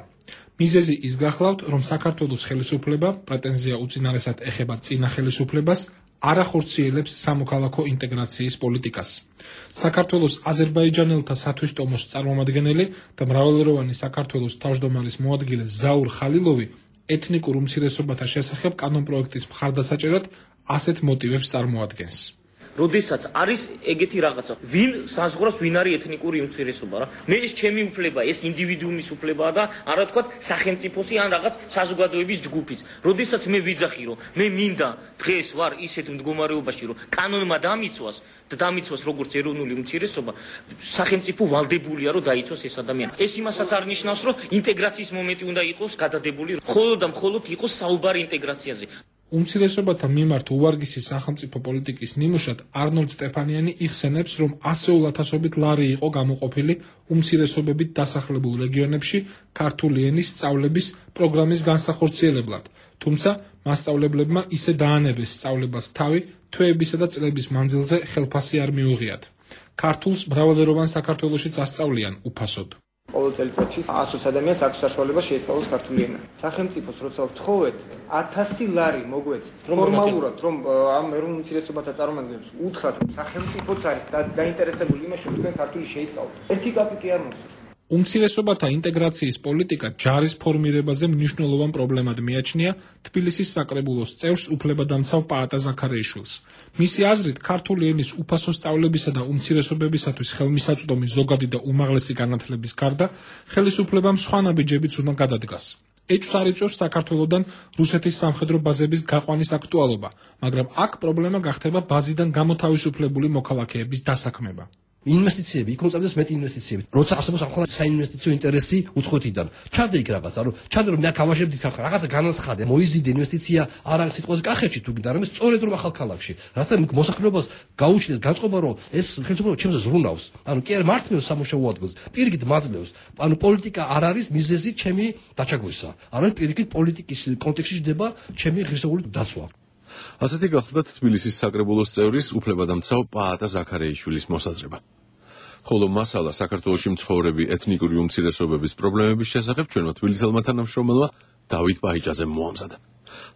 Speaker 17: მიზეზი ის გახლავთ, რომ საქართველოს ხელისუფლება პრეტენზია უწინარესად ეხება წინა ხელისუფლებას, არ ახორციელებს სამოქალაქო ინტეგრაციის პოლიტიკას. საქართველოს აზერბაიჯანელთა სათვისტომოს წარმომადგენელი და მრავალეროვანი საქართველოს თავმჯდომარის მოადგილე ზაურ ხალილოვი ეთნიკურ უმცირესობათა შესახებ კანონპროექტის მხარდასაჭერად ასეთ მოტივებს წარმოადგენს.
Speaker 18: როდესაც არის ეგეთი რაღაცა, ვინ საზღვრავს, ვინ არის ეთნიკური უმცირესობა რა. მე ეს ჩემი უფლება, ეს ინდივიდუუმის უფლებაა და არა თქვა სახელმწიფოსი ან რაღაც საზოგადოების ჯგუფის. როდესაც მე ვიძახი, რომ მე მინდა დღეს ვარ ისეთ მდგომარეობაში, რომ კანონმა დამიცვას და დამიცვას როგორც ეროვნული უმცირესობა, სახელმწიფო ვალდებულია, რომ დაიცვას ეს ადამიანი. ეს იმასაც არ ნიშნავს, რომ ინტეგრაციის მომენტი უნდა იყოს გადადებული, მხოლოდ და მხოლოდ იყოს საუბარი ინტეგრაციაზე.
Speaker 17: უმცირესობათა მიმართ უვარგისი სახელმწიფო პოლიტიკის ნიმუშად არნოლდ სტეფანიანი იხსენებს, რომ ასეულ ათასობით ლარი იყო გამოყოფილი უმცირესობებით დასახლებულ რეგიონებში ქართული ენის სწავლების პროგრამის განსახორციელებლად, თუმცა მასწავლებლებმა ისე დაანებეს სწავლებას თავი, თვეებისა და წლების მანძილზე ხელფასი არ მიუღიათ. ქართულს მრავალეროვან საქართველოშიც ასწავლიან უფასოდ.
Speaker 19: ყოველ წელიწადში 100 ადამიანს აქვს საშუალება შეისწავლოს ქართული ენა. სახელმწიფოს როცა ვთხოვეთ 1000 ლარი მოგვეცით. ფორმალურად რომ ამ ეროვნულ უმცირესობათა წარმომადგენლებს უთხრათ, რომ სახელმწიფოც არის დაინტერესებული იმაში, რომ თქვენ ქართული შეისწავლოთ. ერთი კაპიკი არ მოსწევს.
Speaker 17: უმცირესობათა ინტეგრაციის პოლიტიკა ჯარის ფორმირებაზე მნიშვნელოვან პრობლემად მიაჩნია თბილისის საკრებულოს წევრს უფლებადამცავ პაატა ზაქარეიშვილს. მისი აზრით, ქართული ენის უფასო სწავლებისა და უმცირესობებისათვის ხელმისაწვდომი ზოგადი და უმაღლესი განათლების გარდა, ხელისუფლებამ სხვა ნაბიჯებიც უნდა გადადგას. ეჭვს არ იწვევს საქართველოდან რუსეთის სამხედრო ბაზების გაყვანის აქტუალობა, მაგრამ აქ პრობლემა გახდება ბაზიდან გამოთავისუფლებული მოქალაქეების დასაქმება.
Speaker 20: ინვესტიციები, იქ მოწამდეს მეტი ინვესტიციები. როცა არსებობს ახლა საინვესტიციო ინტერესი უცხოეთიდან. ჩადე იქ რაღაცა, რომ ჩადე რომ მე გავაშებდით რაღაცა განაცხადე, მოიზიდე ინვესტიცია არ არის სიტყვაზე კახეთში თუ გინდა, არამედ სწორედ რომ ახალ ქალაქში. რათა მოსახლეობას გაუჩნდეს განწყობა, რომ ეს ხელისუფლება ჩემზე ზრუნავს. ანუ კი არ მართლებს სამუშაო ადგილს, პირიქით მაძლევს. ანუ პოლიტიკა არ არის მიზეზი ჩემი დაჩაგვისა. არამედ პირიქით პოლიტიკის კონტექსტში ჯდება ჩემი ღირსეული დაცვა.
Speaker 1: ასეთი გახლდათ თბილისის საკრებულოს წევრის უფლებადამცავ პაატა ზაქარეიშვილის მოსაზრება. ხოლო მასალა საქართველოში მცხოვრები ეთნიკური უმცირესობების პრობლემების შესახებ ჩვენმა თბილისელმა თანამშრომელმა დავით პაიჭაძემ მოამზადა.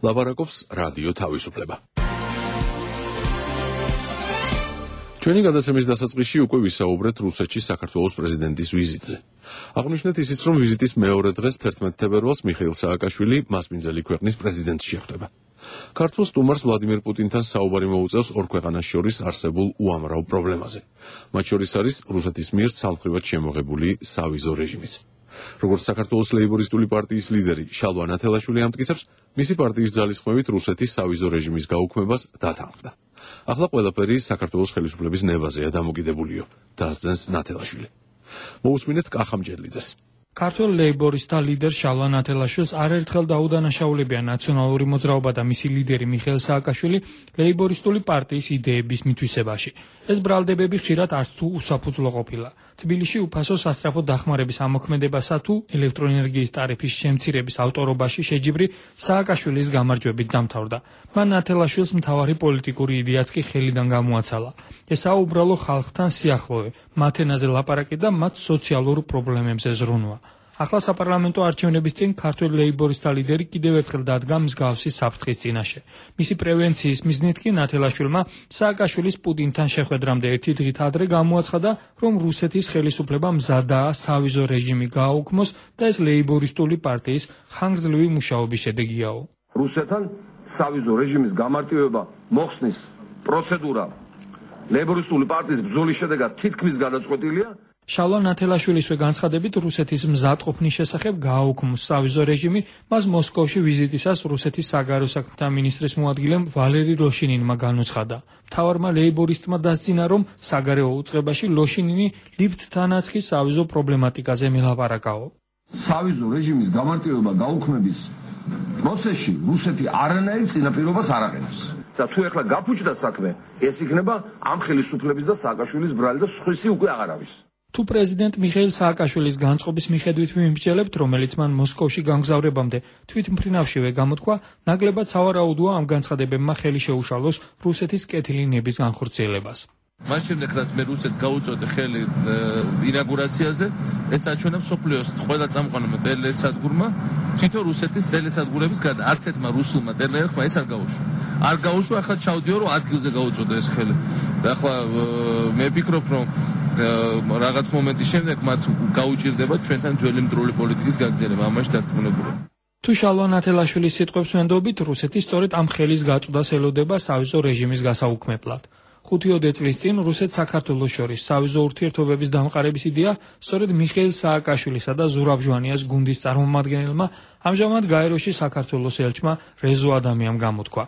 Speaker 1: ლაპარაკობს რადიო თავისუფლება. ჩვენი გადაცემის დასაწყისში უკვე ვისაუბრეთ რუსეთში საქართველოს პრეზიდენტის ვიზიტზე. აღვნიშნეთ ისიც, რომ ვიზიტის მეორე დღეს 11 თებერვალს მიხეილ სააკაშვილი მასპინძელი ქვეყნის პრეზიდენტს შეხვდება. ქართულ სტუმარს ვლადიმერ პუტინთან საუბარი მოუწევს ორ ქვეყანას შორის არსებულ უამრავ პრობლემაზე. მათ შორის არის რუსეთის მიერ ცალმხრივად შემოღებული სავიზო რეჟიმიც. როგორც საქართველოს ლეიბორისტული პარტიის ლიდერი შალვა ნათელაშვილი ამტკიცებს, მისი პარტიის ძალისხმევით რუსეთის სავიზო რეჟიმის გაუქმებას დათანხმდა. ახლა ყველაფერი საქართველოს ხელისუფლების ნებაზეა დამოკიდებულიო, დასძენს ნათელაშვილი. მოусმინეთ კახამჯერლიძეს.
Speaker 21: ქართულ ლეიბორისტთა ლიდერ შალვა ნათელაშვილს არაერთხელ დაუდანაშაულებია ნაციონალური მოძრაობა და მისი ლიდერი მიხეილ სააკაშვილი ლეიბორისტული პარტიის იდეების მითვისებაში. ეს ბრალდებები ხშირად არც თუ უსაფუძვლო ყოფილა. თბილისში უფასო სასწრაფო დახმარების ამოქმედებასა თუ ელექტროენერგიის ტარიფის შემცირების ავტორობაში შეჯიბრი სააკაშვილის გამარჯვებით დამთავრდა. მან ნათელაშვილს მთავარი პოლიტიკური იდეაც კი ხელიდან გამოაცალა. ესაა უბრალო ხალხთან სიახლოვე, მათ ენაზე ლაპარაკი და მათ სოციალურ პრობლემებზე ზრუნვა. ახლა საპარლამენტო არჩევნების წინ ქართველ ლეიბორისტთა ლიდერი კიდევ ერთხელ დადგა მსგავსი საფრთხის წინაშე. მისი პრევენციის მიზნით კი ნათელაშვილმა სააკაშვილის პუტინთან შეხვედრამდე ერთი დღით ადრე გამოაცხადა, რომ რუსეთის ხელისუფლება მზადაა სავიზო რეჟიმი გააუქმოს და ეს ლეიბორისტული პარტიის ხანგრძლივი მუშაობის შედეგიაო.
Speaker 22: რუსეთთან სავიზო რეჟიმის გამარტივება მოხსნის პროცედურა ლეიბორისტული პარტიის ბრძოლის შედეგად თითქმის გადაწყვეტილია.
Speaker 21: შალვა ნათელაშვილისვე განცხადებით რუსეთის მზადყოფნის შესახებ გააუქმოს სავიზო რეჟიმი, მას მოსკოვში ვიზიტისას რუსეთის საგარეო საქმეთა მინისტრის მოადგილემ ვალერი ლოშინინმა განუცხადა. მთავარმა ლეიბორისტმა დასძინა, რომ საგარეო უწყებაში ლოშინინი ლიფტთანაც კი სავიზო პრობლემატიკაზე მელაპარაკაო.
Speaker 22: სავიზო რეჟიმის გამარტივება გაუქმების პროცესში რუსეთი არანაირ წინაპირობას არ აყენებს. და თუ ეხლა გაფუჭდა საქმე, ეს იქნება ამ ხელისუფლების და სააკაშვილის ბრალი და სხვისი უკვე აღარ არის.
Speaker 21: თუ პრეზიდენტ მიხეილ სააკაშვილის განწყობის მიხედვით ვიმსჯელებთ, რომელიც მან მოსკოვში გამგზავრებამდე თვითმფრინავშივე გამოთქვა, ნაკლებად სავარაუდოა ამ განცხადებებმა ხელი შეუშალოს რუსეთის კეთილი ნების განხორციელებას.
Speaker 4: მას შემდეგ რაც მე რუსეთს გაუწოდე ხელი ინაგურაციაზე, ეს აჩვენა მსოფლიოს ყველა წამყვანმა ტელესადგურმა, თვითონ რუსეთის ტელესადგურების გარდა არც ერთმა რუსულმა ტელეერხმა ეს არ გაუშვა. არ გაუშვა, ახლა ჩავდიო, რომ ადგილზე გაუწოდე ეს ხელი. და ახლა მე ვფიქრობ, რომ რაღაც მომენტის შემდეგ მათ გაუჭირდება ჩვენთან ძველი მტრული პოლიტიკის გაგრძელება, ამაში დარწმუნებული.
Speaker 21: თუ შალვა ნათელაშვილის სიტყვებს ვენდობით, რუსეთი სწორედ ამ ხელის გაწვდას ელოდება სავიზო რეჟიმის გასაუქმებლად. 5 წლის წინ რუსეთ-საქართველოს შორის სავიზო ურთიერთობების დამყარების იდეა სწორედ მიხეილ სააკაშვილისა და ზურაბ ჟვანიას გუნდის წარმომადგენელმა ამჟამად გაეროში საქართველოს ელჩმა რეზო ადამიამ გამოთქვა.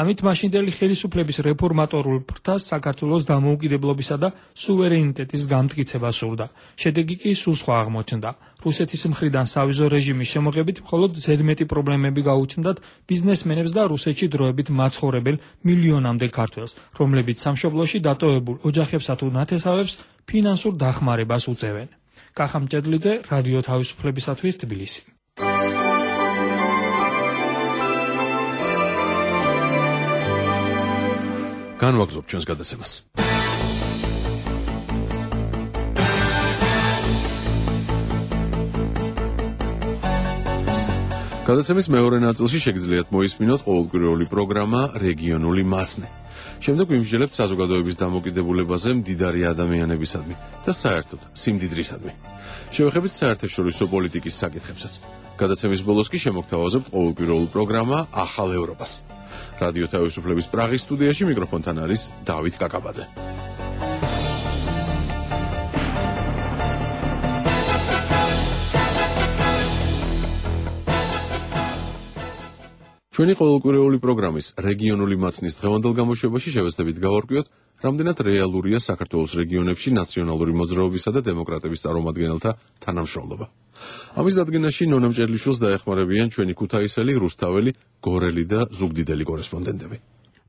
Speaker 21: ამით მაშინდელი ხელისუფლების რეფორმატორულ ფრთას საქართველოს დამოუკიდებლობისა და სუვერენიტეტის გამტკიცება სურდა. შედეგი კი სულ სხვა აღმოჩნდა. რუსეთის მხრიდან სავიზო რეჟიმის შემოღებით მხოლოდ ზედმეტი პრობლემები გაუჩნდათ ბიზნესმენებს და რუსეთში დროებით მაცხოვრებელ მილიონამდე ქართველს, რომლებიც სამშობლოში დატოვებულ ოჯახებსა თუ ნათესავებს ფინანსურ დახმარებას უწევენ. კახამჯერლიძე, რადიო თავისუფლებისათვის, თბილისი.
Speaker 1: განვაგრძობ ჩვენს გადაცემას. გადაცემის მეორე ნაწილში შეგიძლიათ მოისმინოთ ყოველკვირეული პროგრამა რეგიონული მაცნე. შემდეგ ვიმსჯელებთ საზოგადოების დამოკიდებულებაზე მდიდარი ადამიანებისადმი და საერთოდ სიმდიდრისადმი. შევეხებით საერთაშორისო პოლიტიკის საკითხებსაც. გადაცემის ბოლოს კი შემოგთავაზებთ ყოველკვირეულ პროგრამა ახალ ევროპას. რადიო თავისუფლების პრაღის სტუდიაში მიკროფონთან არის დავით კაკაბაძე. ჩვენი ყოველკვირეული პროგრამის რეგიონული მაცნის დღევანდელ გამოშვებაში შევეცდებით გავარკვიოთ, რამდენად რეალურია საქართველოს რეგიონებში ნაციონალური მოძრაობისა და დემოკრატების წარმომადგენელთა თანამშრომლობა. ამის დადგენაში ნონა მჭერლიშვილს დაეხმარებიან ჩვენი ქუთაისელი, რუსთაველი, გორელი და ზუგდიდელი კორესპონდენტები.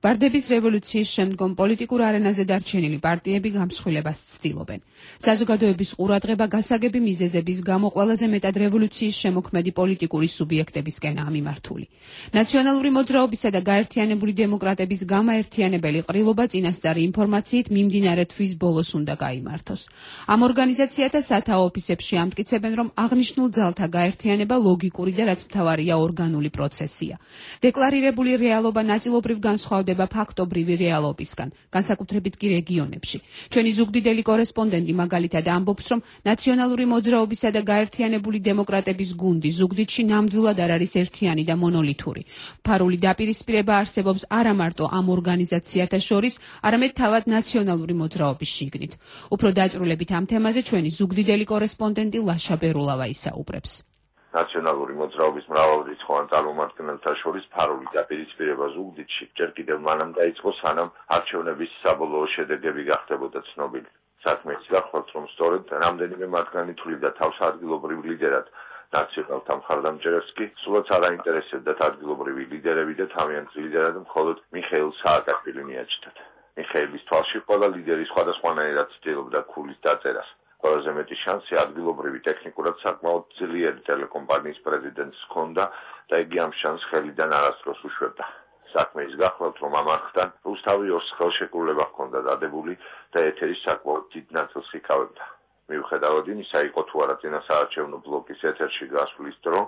Speaker 23: ვარდების რევოლუციის შემდგომ პოლიტიკურ არენაზე დარჩენილი პარტიები გამსხვილებას ცდილობენ. საზოგადოების ყურადღება გასაგები მიზეზების გამო ყველაზე მეტად რევოლუციის შემოქმედი პოლიტიკური სუბიექტებისკენაა მიმართული. ნაციონალური მოძრაობისა და გაერთიანებული დემოკრატების გამაერთიანებელი ყრილობა წინასწარი ინფორმაციით მიმდინარე თვის ბოლოს უნდა გაიმართოს. ამ ორგანიზაციათა სათაო ოფისებში ამტკიცებენ, რომ აღნიშნულ ძალთა გაერთიანება ლოგიკური და რაც მთავარია ორგანული პროცესია. დეკლარირებული რეალობა ნაწილობრივ განსხვავდება იზრდება ფაქტობრივი რეალობისგან, განსაკუთრებით კი რეგიონებში. ჩვენი ზუგდიდელი კორესპონდენტი მაგალითად ამბობს, რომ ნაციონალური მოძრაობისა და გაერთიანებული დემოკრატების გუნდი ზუგდიდში ნამდვილად არ არის ერთიანი და მონოლითური. ფარული დაპირისპირება არსებობს არა მარტო ამ ორგანიზაციათა შორის, არამედ თავად ნაციონალური მოძრაობის შიგნით. უფრო დაწვრილებით ამ თემაზე ჩვენი ზუგდიდელი კორესპონდენტი ლაშა ბერულავა ისაუბრებს.
Speaker 2: ნაციონალური მოძრაობის მრავალრიცხოვან წარმომადგენელთა შორის ფარული დაპირისპირება ზუგდიდში ჯერ კიდევ მანამ დაიწყო, სანამ არჩევნების საბოლოო შედეგები გახდებოდა ცნობილი. საქმე ის გახლავთ, რომ სწორედ რამდენიმე მათგანი თვლიდა თავს ადგილობრივ ლიდერად ნაციონალთა მხარდამჭერებს კი სულაც არ აინტერესებდათ ადგილობრივი ლიდერები და თავიანთ ლიდერად მხოლოდ მიხეილ სააკაშვილი მიაჩნდათ. მიხეილის თვალში ყველა ლიდერი სხვადასხვანაირად ცდილობდა ქულის დაწერას. ყველაზე მეტი შანსი ადგილობრივი ტექნიკურად საკმაოდ ძლიერი ტელეკომპანიის პრეზიდენტს ჰქონდა და იგი ამ შანსს ხელიდან არასდროს უშვებდა. საქმე ის გახლავთ, რომ ამ არხთან რუსთავი ორს ხელშეკრულება ჰქონდა დადებული და ეთერის საკმაოდ დიდ ნაწილს იკავებდა. მიუხედავად იმისა, იყო თუ არა წინასაარჩევნო ბლოკის ეთერში გასვლის დრო,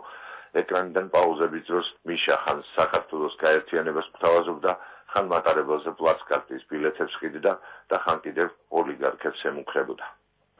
Speaker 2: ეკრანიდან პაუზების დროს მიშა ხან საქართველოს გაერთიანებას გვთავაზობდა, ხან მატარებელზე პლაცკარტის ბილეთებს ყიდდა და ხან კიდევ ოლიგარქებს ემუქრებოდა.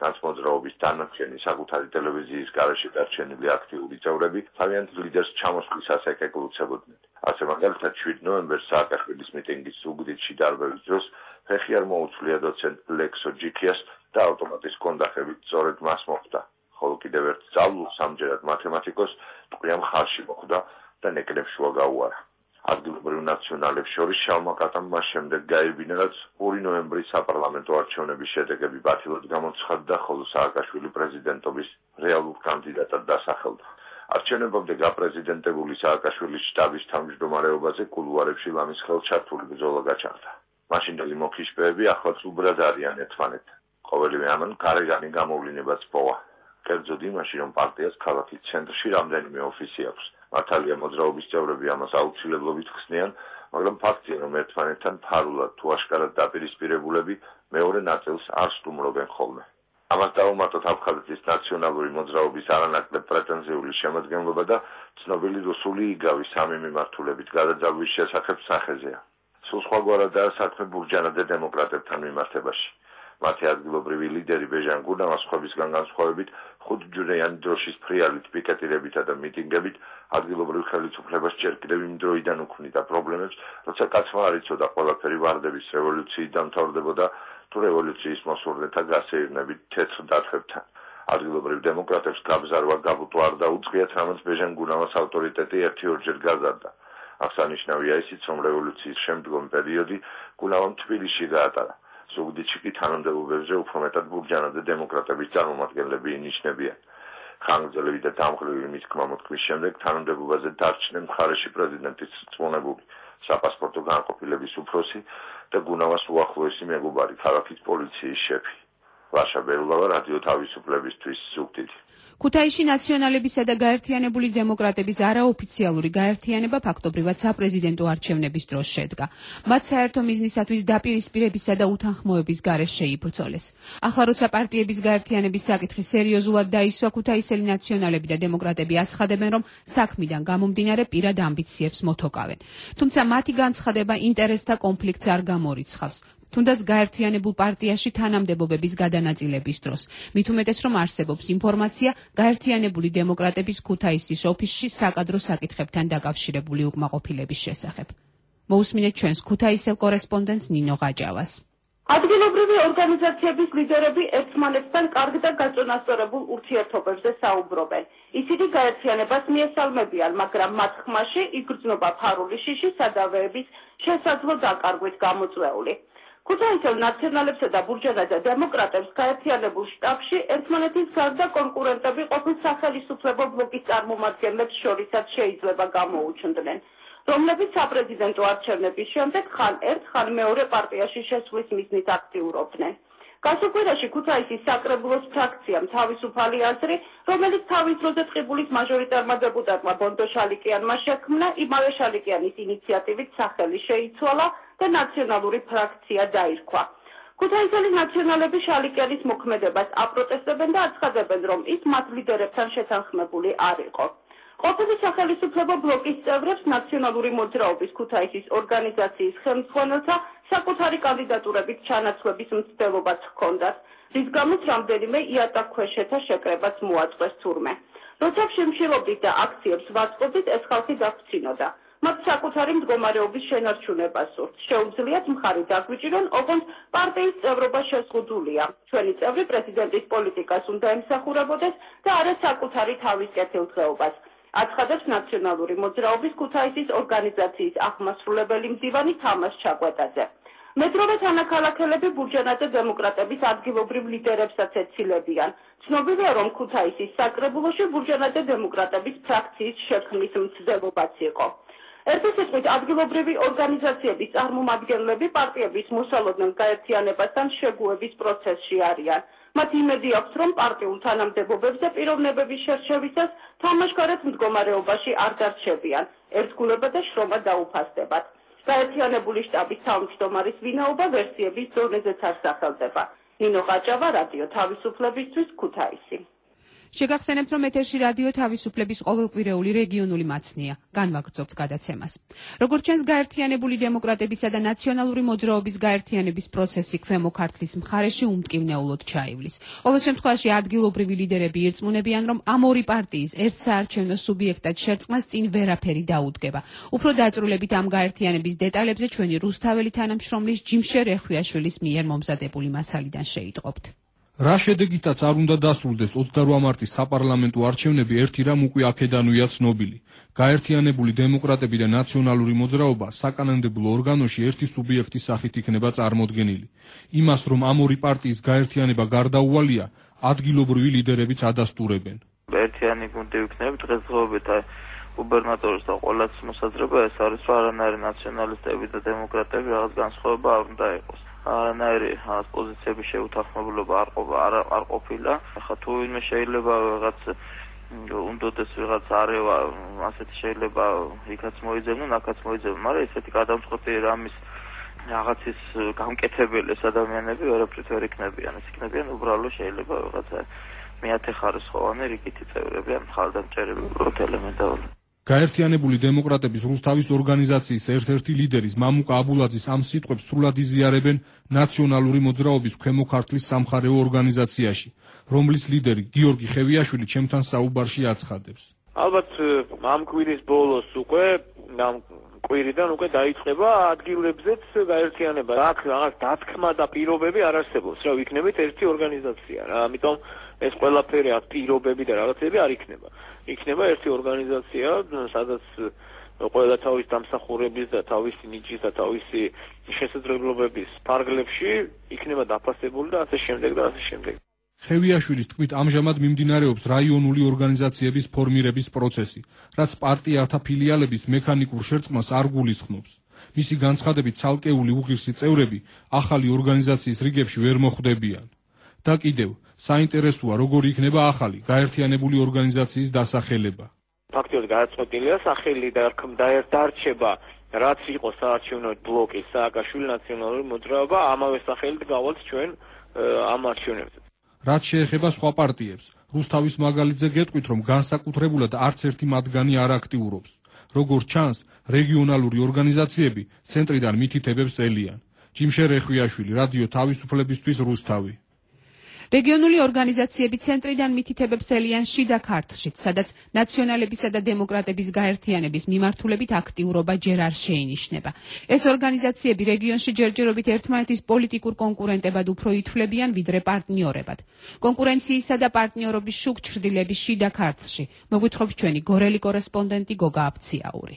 Speaker 2: ნაცმოძრაობის დანარჩენი საკუთარი ტელევიზიის გარეშე დარჩენილი აქტიური წევრები თავიანთ ლიდერს ჩამოსვლისას ეკეკლუცებოდნენ. ასე მაგალითად 7 ნოემბერს სააკაშვილის მიტინგის ზუგდიდში დარბევის დროს ფეხი არ მოუწლია დოცენტ ლექსო ჯიქიას და ავტომატის კონდახებით სწორედ მას მოხვდა. ხოლო კიდევ ერთ სწავლულ სამჯერად მათემატიკოს ტყვია მხარში მოხვდა და ნეკნებს შუა გაუარა. ადგილობრივ ნაციონალებს შორის შალმა კატამ მას შემდეგ გაებინა, რაც 2 ნოემბრის საპარლამენტო არჩევნების შედეგები ბათილად გამოცხადდა, ხოლო სააკაშვილი პრეზიდენტობის რეალურ კანდიდატად დასახელდა. არჩევნებამდე გაპრეზიდენტებული სააკაშვილის შტაბის თავმჯდომარეობაზე კულუარებში ლამის ხელჩართული ბრძოლა გაჩაღდა. მაშინდელი მოქიშპეები ახლაც უბრად არიან ერთმანეთთან. ყოველივე ამან გარეგანი გამოვლინებაც პოვა. კერძოდ იმაში, რომ პარტიას ქალაქის ცენტრში რამდენიმე ოფისი აქვს. მართალია მოძრაობის წევრები ამას აუცილებლობით ხსნიან, მაგრამ ფაქტია, რომ ერთმანეთთან ფარულად თუ აშკარად დაპირისპირებულები მეორე ნაწილს არ სტუმრობენ ხოლმე. ამას დაუმატოთ აფხაზეთის ნაციონალური მოძრაობის არანაკლებ პრეტენზიული შემადგენლობა და ცნობილი რუსული იგავი სამი მიმართულებით გადაძალვის შესახებ სახეზეა. სულ სხვაგვარადაა საქმე ბურჯანაძე დემოკრატებთან მიმართებაში. მათი ადგილობრივი ლიდერი ბეჟან გურნავას სხვებისგან განსხვავებით 5 ჯვრიანი დროშის ფრიალით, პიკეტირებითა და მიტინგებით ადგილობრივ ხელისუფლებას ჯერ კიდევ იმ დროიდან უქმნიდა პრობლემებს, როცა კაცმა არ იცოდა ყველაფერი ვარდების რევოლუციით დამთავრდებოდა თუ რევოლუციის მოსურნეთა გასეირნებით თეთრ დათვებთან. ადგილობრივ დემოკრატებს გაბზარვა გაბუტვა არ დაუწყიათ, რამაც ბეჟან გურნავას ავტორიტეტი 1-2 გაზარდა. აღსანიშნავია ისიც, რომ რევოლუციის შემდგომ პერიოდი გურნავამ თბილისში გაატარა. ზუგდიდში კი თანამდებობებზე უფრო მეტად ბურჯანაძე დემოკრატების წარმომადგენლები ინიშნებიან. ხანგრძლივი და დამღლელი მისქმა-მოთქმის შემდეგ თანამდებობაზე დარჩნენ მხარეში პრეზიდენტის რწმუნებული, საპასპორტო განყოფილების უფროსი და გუნავას უახლოესი მეგობარი, ქალაქის პოლიციის შეფი. ლაშა ბერულავა, რადიო თავისუფლებისთვის, ზუგდიდი.
Speaker 23: ქუთაისში ნაციონალებისა და გაერთიანებული დემოკრატების არაოფიციალური გაერთიანება ფაქტობრივად საპრეზიდენტო არჩევნების დროს შედგა. მათ საერთო მიზნისათვის დაპირისპირებისა და უთანხმოების გარეშე შეიბრძოლეს. ახლა როცა პარტიების გაერთიანების საკითხი სერიოზულად დაისვა, ქუთაისელი ნაციონალები და დემოკრატები აცხადებენ, რომ საქმიდან გამომდინარე პირად ამბიციებს მოთოკავენ. თუმცა მათი განცხადება ინტერესთა კონფლიქტს არ გამორიცხავს. თუნდაც გაერთიანებულ პარტიაში თანამდებობების გადანაწილების დროს. მით უმეტეს, რომ არსებობს ინფორმაცია გაერთიანებული დემოკრატების ქუთაისის ოფისში საკადრო საკითხებთან დაკავშირებული უკმაყოფილების შესახებ. მოусმინეთ ჩვენს ქუთაისელ კორესპონდენტს ნინო ღაჯავას.
Speaker 3: ადგილობრივი ორგანიზაციების ლიდერები ერთმანეთთან კარგ და გაწონასწორებულ ურთიერთობებზე საუბრობენ. ისინი გაერთიანებას მიესალმებიან, მაგრამ მათ ხმაში იგრძნობა ფარული შიში სადავეების შესაძლო დაკარგვით გამოწვეული. ქუთაისელ ნაციონალებსა და ბურჯანაძე დემოკრატებს გაერთიანებულ შტაბში ერთმანეთის გარდა კონკურენტები ყოფილ სახელისუფლებო ბლოკის წარმომადგენლებს შორისაც შეიძლება გამოუჩნდნენ, რომლებიც საპრეზიდენტო არჩევნების შემდეგ ხან ერთ, ხან მეორე პარტიაში შესვლის მიზნით აქტიურობდნენ. გასულ კვირაში ქუთაისის საკრებულოს ფრაქციამ თავისუფალი აზრი, რომელიც თავის დროზე ტყიბულის მაჟორიტარმა დეპუტატმა ბონდო შალიკიანმა შექმნა, იმავე შალიკიანის ინიციატივით სახელი შეიცვალა და ნაციონალური ფრაქცია დაირქვა. ქუთაისელი ნაციონალები შალიკიანის მოქმედებას აპროტესტებენ და აცხადებენ, რომ ის მათ ლიდერებთან შეთანხმებული არ იყო. ყოფილი სახელმწიფო ბლოკის წევრებს ნაციონალური მოძრაობის ქუთაისის ორგანიზაციის ხელმძღვანელთა საკუთარი კანდიდატურებით ჩანაცვლების მცდელობაც ჰქონდათ, რის გამოც რამდენიმე იატაკქვეშეთა შეკრებაც მოაწყვეს თურმე. როცა შიმშილობით და აქციებს ვაწყობდით, ეს ხალხი დაგვცინოდა. მათ საკუთარი მდგომარეობის შენარჩუნება სურთ. შეუძლიათ მხარი დაგვიჭირონ, ოღონდ პარტიის წევრობა შეზღუდულია. ჩვენი წევრი პრეზიდენტის პოლიტიკას უნდა ემსახურებოდეს და არა საკუთარი თავის კეთილდღეობას. აცხადებს ნაციონალური მოძრაობის ქუთაისის ორგანიზაციის აღმასრულებელი მდივანი თამას ჩაკვეტაძე. მეტროვე თანაქალაქელები ბურჯანაძე დემოკრატების ადგილობრივ ლიდერებსაც ეცილებიან. ცნობილია, რომ ქუთაისის საკრებულოში ბურჯანაძე დემოკრატების ფრაქციის შექმნის მცდელობაც იყო. ერთი სიტყვით, ადგილობრივი ორგანიზაციების წარმომადგენლები პარტიების მოსალოდნელ გაერთიანებასთან შეგუების პროცესში არიან. მათ იმედი აქვს, რომ პარტიულ თანამდებობებზე პიროვნებების შერჩევისას თამაშგარეთ მდგომარეობაში არ დარჩებიან, ერთგულება და შრომა დაუფასდებათ. გაერთიანებული შტაბის თავმჯდომარის ვინაობა ვერსიების დონეზეც არ სახელდება. ნინო ყაჭავა, რადიო თავისუფლებისთვის, ქუთაისი.
Speaker 23: შეგახსენებთ, რომ ეთერში რადიო თავისუფლების ყოველკვირეული რეგიონული მაცნია. განვაგრძობთ გადაცემას. როგორც ჩანს, გაერთიანებული დემოკრატებისა და ნაციონალური მოძრაობის გაერთიანების პროცესი ქვემო ქართლის მხარეში უმტკივნეულოდ ჩაივლის. ყოველ შემთხვევაში ადგილობრივი ლიდერები ირწმუნებიან, რომ ამ ორი პარტიის ერთ საარჩევნო სუბიექტად შერწყმას წინ ვერაფერი დაუდგება. უფრო დაწვრილებით ამ გაერთიანების დეტალებზე ჩვენი რუსთაველი თანამშრომლის ჯიმშე რეხვიაშვილის მიერ მომზადებული მასალიდან შეიტყობთ.
Speaker 21: რა შედეგითაც არ უნდა დასრულდეს 28 მარტის საპარლამენტო არჩევნები, ერთი რამ უკვე აქედანვეა ცნობილი. გაერთიანებული დემოკრატები და ნაციონალური მოძრაობა საკანონმდებლო ორგანოში ერთი სუბიექტის სახით იქნება წარმოდგენილი. იმას, რომ ამ ორი პარტიის გაერთიანება გარდაუვალია, ადგილობრივი ლიდერებიც ადასტურებენ.
Speaker 5: ერთიანი გუნდი ვიქნებით დღესდღეობით გუბერნატორის და ყოველას მოსაზრება ეს არის, რომ არანაირი ნაციონალისტები და დემოკრატები რაღაც განსხვავება არ უნდა იყოს. არანაირი პოზიციების შეუთანხმებლობა არ ყოფილა. ახლა თუ ვინმე შეიძლება რაღაც უნდოდეს ვიღაც არევა, ასეთი შეიძლება იქაც მოიძებნონ, აქაც მოიძებნონ, მაგრამ ესეთი გადამწყვეტი რამის რაღაცის გამკეთებელი ეს ადამიანები ვერაფრით ვერ იქნებიან. ეს იქნებიან უბრალოდ შეიძლება ვიღაცა მეათეხარისხოვანი რიგითი წევრები ან მხარდამჭერები უბრალოდ ელემენტარული.
Speaker 21: გაერთიანებული დემოკრატების რუსთავის ორგანიზაციის ერთ-ერთი ლიდერის მამუკა აბულაძის ამ სიტყვებს სრულად იზიარებენ ნაციონალური მოძრაობის ქვემო ქართლის სამხარეო ორგანიზაციაში, რომლის ლიდერი გიორგი ხევიაშვილი ჩემთან საუბარში აცხადებს.
Speaker 8: ალბათ ამ კვირის ბოლოს უკვე ამ კვირიდან უკვე დაიწყება ადგილებზეც გაერთიანება. აქ რაღაც დათქმა და პირობები არ არსებობს, რა ვიქნებით ერთი ორგანიზაცია რა. ამიტომ ეს ყველაფერი აქ პირობები და რაღაცები არ იქნება. იქნება ერთი ორგანიზაცია, სადაც ყველა თავის დამსახურების და თავისი ნიჭის და თავისი შესაძლებლობების ფარგლებში იქნება დაფასებული და ასე შემდეგ და ასე შემდეგ.
Speaker 21: ხევიაშვილის თქმით, ამჟამად მიმდინარეობს რაიონული ორგანიზაციების ფორმირების პროცესი, რაც პარტიათა ფილიალების მექანიკურ შერწყმას არ გულისხმობს. მისი განცხადებით, ცალკეული უღირსი წევრები ახალი ორგანიზაციის რიგებში ვერ მოხვდებიან. და კიდევ, საინტერესოა, როგორი იქნება ახალი გაერთიანებული ორგანიზაციის დასახელება.
Speaker 8: ფაქტობრივად გადაწყვეტილია სახელი და დარჩება, რაც იყო საარჩევნო ბლოკის სააკაშვილი ნაციონალური მოძრაობა, ამავე სახელით გავალთ ჩვენ ამ არჩევნებზე.
Speaker 21: რაც შეეხება სხვა პარტიებს, რუსთავის მაგალითზე გეტყვით, რომ განსაკუთრებულად არც ერთი მათგანი არ აქტიურობს. როგორც ჩანს, რეგიონალური ორგანიზაციები ცენტრიდან მითითებებს ელიან. ჯიმშე რეხვიაშვილი, რადიო თავისუფლებისთვის, რუსთავი.
Speaker 23: რეგიონული ორგანიზაციები ცენტრიდან მითითებებს ელიან შიდა ქართლში, სადაც ნაციონალებისა და დემოკრატების გაერთიანების მიმართულებით აქტიურობა ჯერ არ შეინიშნება. ეს ორგანიზაციები რეგიონში ჯერჯერობით ერთმანეთის პოლიტიკურ კონკურენტებად უფრო ითვლებიან, ვიდრე პარტნიორებად. კონკურენციისა და პარტნიორობის შუქჩრდილების შიდა ქართლში მოგვითხრობს ჩვენი გორელი კორესპონდენტი გოგა აფციაური.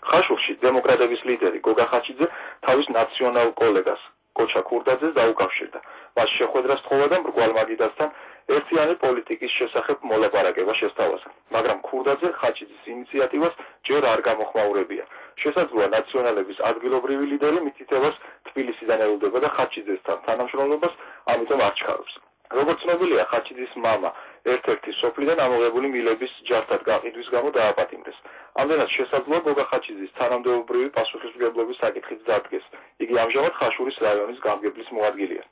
Speaker 9: ხაშურში დემოკრატების ლიდერი გოგა ხაჩიძე თავის ნაციონალ კოლეგას კოჩა ქურდაძეს დაუკავშირდა. მას შეხვედრას თხოვა და მრგვალ მაგიდასთან ერთიანი პოლიტიკის შესახებ მოლაპარაკება შესთავაზა. მაგრამ ქურდაძე ხაჩიძის ინიციატივას ჯერ არ გამოხმაურებია. შესაძლოა ნაციონალების ადგილობრივი ლიდერი მითითებას თბილისიდან ელოდება და ხაჩიძესთან თანამშრომლობას ამიტომ არ ჩქარობს. როგორც ცნობილია, ხაჩიძის მამა ერთ-ერთი სოფლიდან ამოღებული მილების ჯართან გაყიდვის გამო დააპატიმრეს. ამდენად შესაძლოა გოგა ხაჩიძის თანამდებობრივი პასუხისმგებლობის საკითხიც დადგეს. იგი ამჟამად ხაშურის რაიონის გამგებლის მოადგილეა.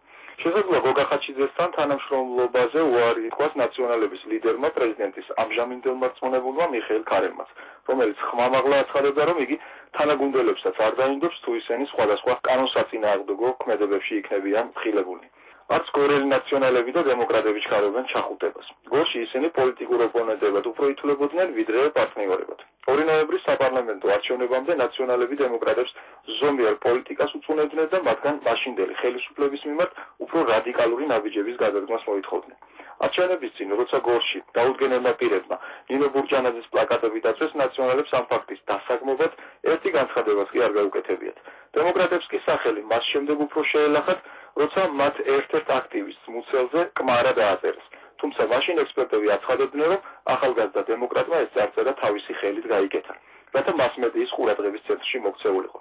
Speaker 9: შესაძლოა გოგა ხაჩიძესთან თანამშრომლობაზე უარი ითქვას ნაციონალების ლიდერმა პრეზიდენტის ამჟამინდელმა რწმუნებულმა მიხეილ ქარელმაც, რომელიც ხმამაღლა აცხადებდა, რომ იგი თანაგუნდელებსაც არ დაინდობს თუ ისინი სხვადასხვა კანონსაწინააღმდეგო ქმედებებში იქნებიან ხილებულნი. არც გორელი ნაციონალები და დემოკრატები ჩქარობენ ჩახუტებას. გორში ისინი პოლიტიკურ ოპონენტებად უფრო ითვლებოდნენ ვიდრე პარტნიორებად. 2 ნოემბრის საპარლამენტო არჩევნებამდე ნაციონალები დემოკრატებს ზომიერ პოლიტიკას უწუნებდნენ და მათგან მაშინდელი ხელისუფლების მიმართ უფრო რადიკალური ნაბიჯების გადადგმას მოითხოვდნენ. არჩევნების წინ, როცა გორში დაუდგენელმა პირებმა ნინო ბურჯანაძის პლაკატები დაწვეს, ნაციონალებს ამ ფაქტის დასაგმობად ერთი განცხადებაც კი არ გაუკეთებიათ. დემოკრატებს კი სახელი მას შემდეგ უფრო შეელახათ, როცა მათ ერთ-ერთ აქტივისტს მუცელზე კმარა დააწერეს. თუმცა მაშინ ექსპერტები აცხადებდნენ, რომ ახალგაზრდა დემოკრატმა ეს წარწერა თავისი ხელით გაიკეთა, რათა მასმედიის ყურადღების ცენტრში მოქცეულიყო.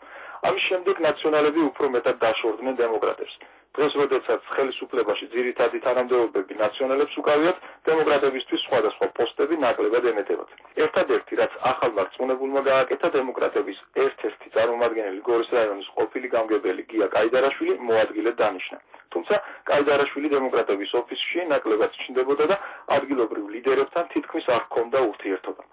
Speaker 9: ამის შემდეგ ნაციონალები უფრო მეტად დაშორდნენ დემოკრატებს. დღეს, როდესაც ხელისუფლებაში ძირითადი თანამდებობები ნაციონალებს უკავიათ, დემოკრატებისთვის სხვადასხვა პოსტები ნაკლებად ემეტებათ. ერთადერთი, რაც ახალმა რწმუნებულმა გააკეთა, დემოკრატების ერთ-ერთი წარმომადგენელი გორის რაიონის ყოფილი გამგებელი გია კაიდარაშვილი მოადგილედ დანიშნა. თუმცა კაიდარაშვილი დემოკრატების ოფისში ნაკლებად ჩნდებოდა და ადგილობრივ ლიდერებთან თითქმის არ ჰქონდა ურთიერთობა.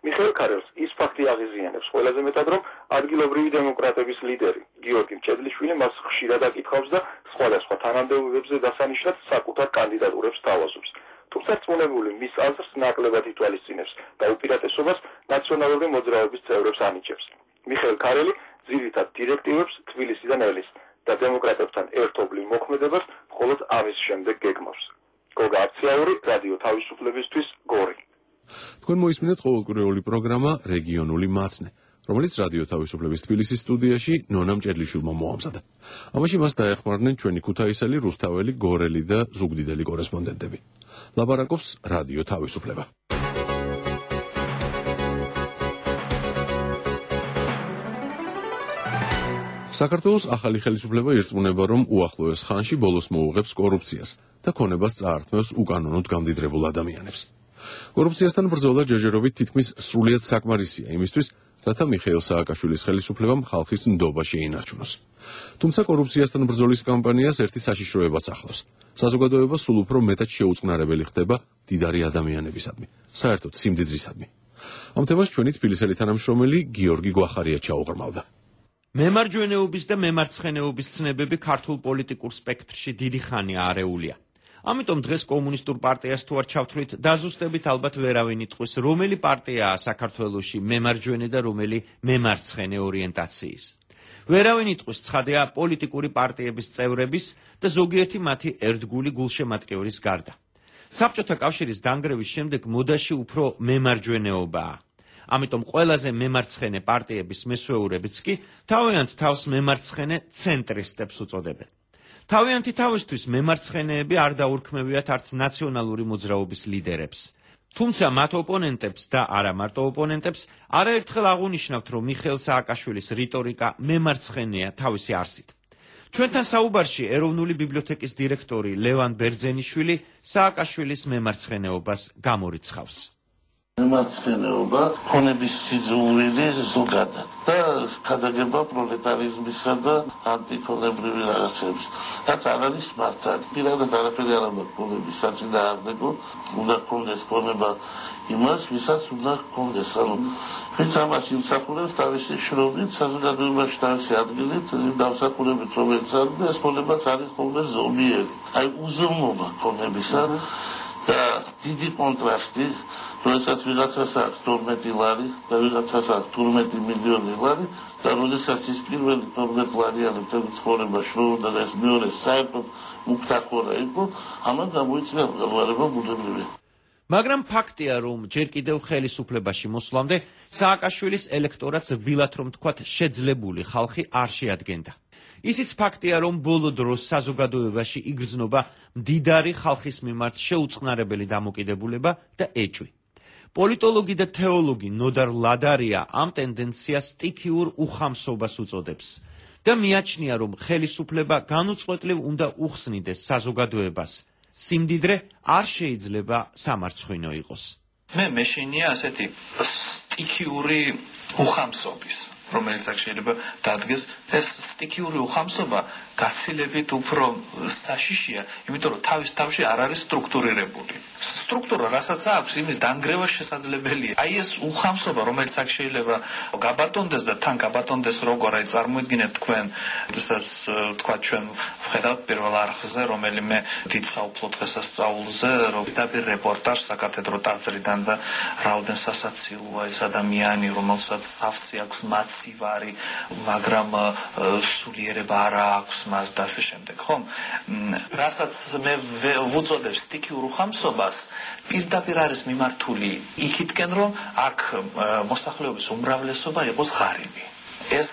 Speaker 9: მიხეილ ქარელს ის ფაქტი აღიზიანებს ყველაზე მეტად, რომ ადგილობრივი დემოკრატების ლიდერი გიორგი მჭედლიშვილი მას ხშირად აკითხავს და სხვადასხვა თანამდებობებზე დასანიშნად საკუთარ კანდიდატურებს თავაზობს. თუმცა რწმუნებული მის აზრს ნაკლებად ითვალისწინებს და უპირატესობას ნაციონალური მოძრაობის წევრებს ანიჭებს. მიხეილ ქარელი ძირითად დირექტივებს თბილისიდან ელის და დემოკრატებთან ერთობლივ მოქმედებას მხოლოდ ამის შემდეგ გეგმავს. გოგა აფციაური, რადიო თავისუფლებისთვის, გორი.
Speaker 1: თქვენ მოისმინეთ ყოველკვირეული პროგრამა რეგიონული მაცნე, რომელიც რადიო თავისუფლების თბილისის სტუდიაში ნონა მჭედლიშვილმა მოამზადა. ამაში მას დაეხმარნენ ჩვენი ქუთაისელი, რუსთაველი, გორელი და ზუგდიდელი კორესპონდენტები. ლაპარაკობს რადიო თავისუფლება. საქართველოს ახალი ხელისუფლება ირწმუნება, რომ უახლოეს ხანში ბოლოს მოუღებს კორუფციას და ქონებას წაართმევს უკანონოდ გამდიდრებულ ადამიანებს. კორუფციასთან ბრძოლა ჯერჯერობით თითქმის სრულიად საკმარისია იმისთვის, რათა მიხეილ სააკაშვილის ხელისუფლებამ ხალხის ნდობა შეინარჩუნოს. თუმცა კორუფციასთან ბრძოლის კამპანიას ერთი საშიშროებაც ახლავს. საზოგადოება სულ უფრო მეტად შეუწყნარებელი ხდება მდიდარი ადამიანებისადმი, საერთოდ სიმდიდრისადმი. ამ თემას ჩვენი თბილისელი თანამშრომელი გიორგი გვახარია ჩაუღრმავდა.
Speaker 6: მემარჯვენეობის და მემარცხენეობის ცნებები ქართულ პოლიტიკურ სპექტრში დიდი ხანია არეულია. ამიტომ დღეს კომუნისტურ პარტიას თუ არ ჩავთვლით, დაზუსტებით ალბათ ვერავინ იტყვის, რომელი პარტიაა საქართველოში მემარჯვენე და რომელი მემარცხენე ორიენტაციის. ვერავინ იტყვის, ცხადია პოლიტიკური პარტიების წევრების და ზოგიერთი მათი ერთგული გულშემატკივრის გარდა. საბჭოთა კავშირის დანგრევის შემდეგ მოდაში უფრო მემარჯვენეობაა. ამიტომ ყველაზე მემარცხენე პარტიების მესვეურებიც კი თავიანთ თავს მემარცხენე ცენტრისტებს უწოდებენ. თავიანთი თავისთვის მემარცხენეები არ დაურქმევიათ არც ნაციონალური მოძრაობის ლიდერებს. თუმცა მათ ოპონენტებს და არა მარტო ოპონენტებს არაერთხელ აღუნიშნავთ, რომ მიხეილ სააკაშვილის რიტორიკა მემარცხენეა თავისი არსით. ჩვენთან საუბარში ეროვნული ბიბლიოთეკის დირექტორი ლევან ბერძენიშვილი სააკაშვილის მემარცხენეობას გამორიცხავს.
Speaker 7: მემარცხენეობა ქონების სიძულვილი ზოგადად და ქადაგება პროლეტარიზმისა და ანტიქონებრივი რაღაცების. რაც არ არის მართალი. პირადად არაფერი არ ამბობ ქონების საწინააღმდეგო, უნდა ქონდეს ქონება იმას, ვისაც უნდა ქონდეს. ანუ ვინც ამას იმსახურებს თავისი შრომით, საზოგადოებაში თავისი ადგილით, დავსახურებით რომელიც არის და ეს ქონებაც არის ხოლმე ზომიერი. აი უზომობა ქონებისა და დიდი კონტრასტი, როდესაც ვიღაცას აქვს 12 ლარი და ვიღაცას აქვს 12 მილიონი ლარი და როდესაც ის პირველი 12 ლარიანი მთელი ცხოვრება შრომობდა და ეს მეორე საერთოდ მუქთახორა იყო, ამან გამოიწვია მღელვარება ბუნებრივი.
Speaker 6: მაგრამ ფაქტია, რომ ჯერ კიდევ ხელისუფლებაში მოსვლამდე სააკაშვილის ელექტორატს რბილად რომ თქვათ შეძლებული ხალხი არ შეადგენდა. ისიც ფაქტია, რომ ბოლო დროს საზოგადოებაში იგრძნობა მდიდარი ხალხის მიმართ შეუწყნარებელი დამოკიდებულება და ეჭვი. პოლიტოლოგი და თეოლოგი ნოდარ ლადარია ამ ტენდენციას სტიქიურ უხამსობას უწოდებს და მიაჩნია, რომ ხელისუფლება განუწყვეტლივ უნდა უხსნიდეს საზოგადოებას. სიმდიდრე არ შეიძლება სამარცხვინო იყოს.
Speaker 11: მე მეშინია ასეთი სტიქიური უხამსობის.
Speaker 10: რომელიც აქ შეიძლება დადგეს, ეს სტიქიური უხამსობა გაცილებით უფრო საშიშია, იმიტომ რომ თავის თავში არ არის სტრუქტურირებული. სტრუქტურა, რასაც აქვს, იმის დანგრევა შესაძლებელია. აი ეს უხამსობა, რომელიც აქ შეიძლება გაბატონდეს და თან გაბატონდეს როგორ, აი წარმოიდგინეთ თქვენ, როდესაც თქვა ჩვენ ვხედავთ პირველ არხზე რომელიმე დიდ საუფლო დღესასწაულზე, რომ დაბირ რეპორტაჟ საკათედრო ტაძრიდან და რაოდენ სასაცილოა ეს ადამიანი, რომელსაც სავსე აქვს მაცივარი, მაგრამ სულიერება არ აქვს მას და ასე შემდეგ, ხომ? რასაც მე ვუწოდებ სტიქიურ უხამსობას, პირდაპირ არის მიმართული იქითკენ, რომ აქ მოსახლეობის უმრავლესობა იყოს ღარიბი. ეს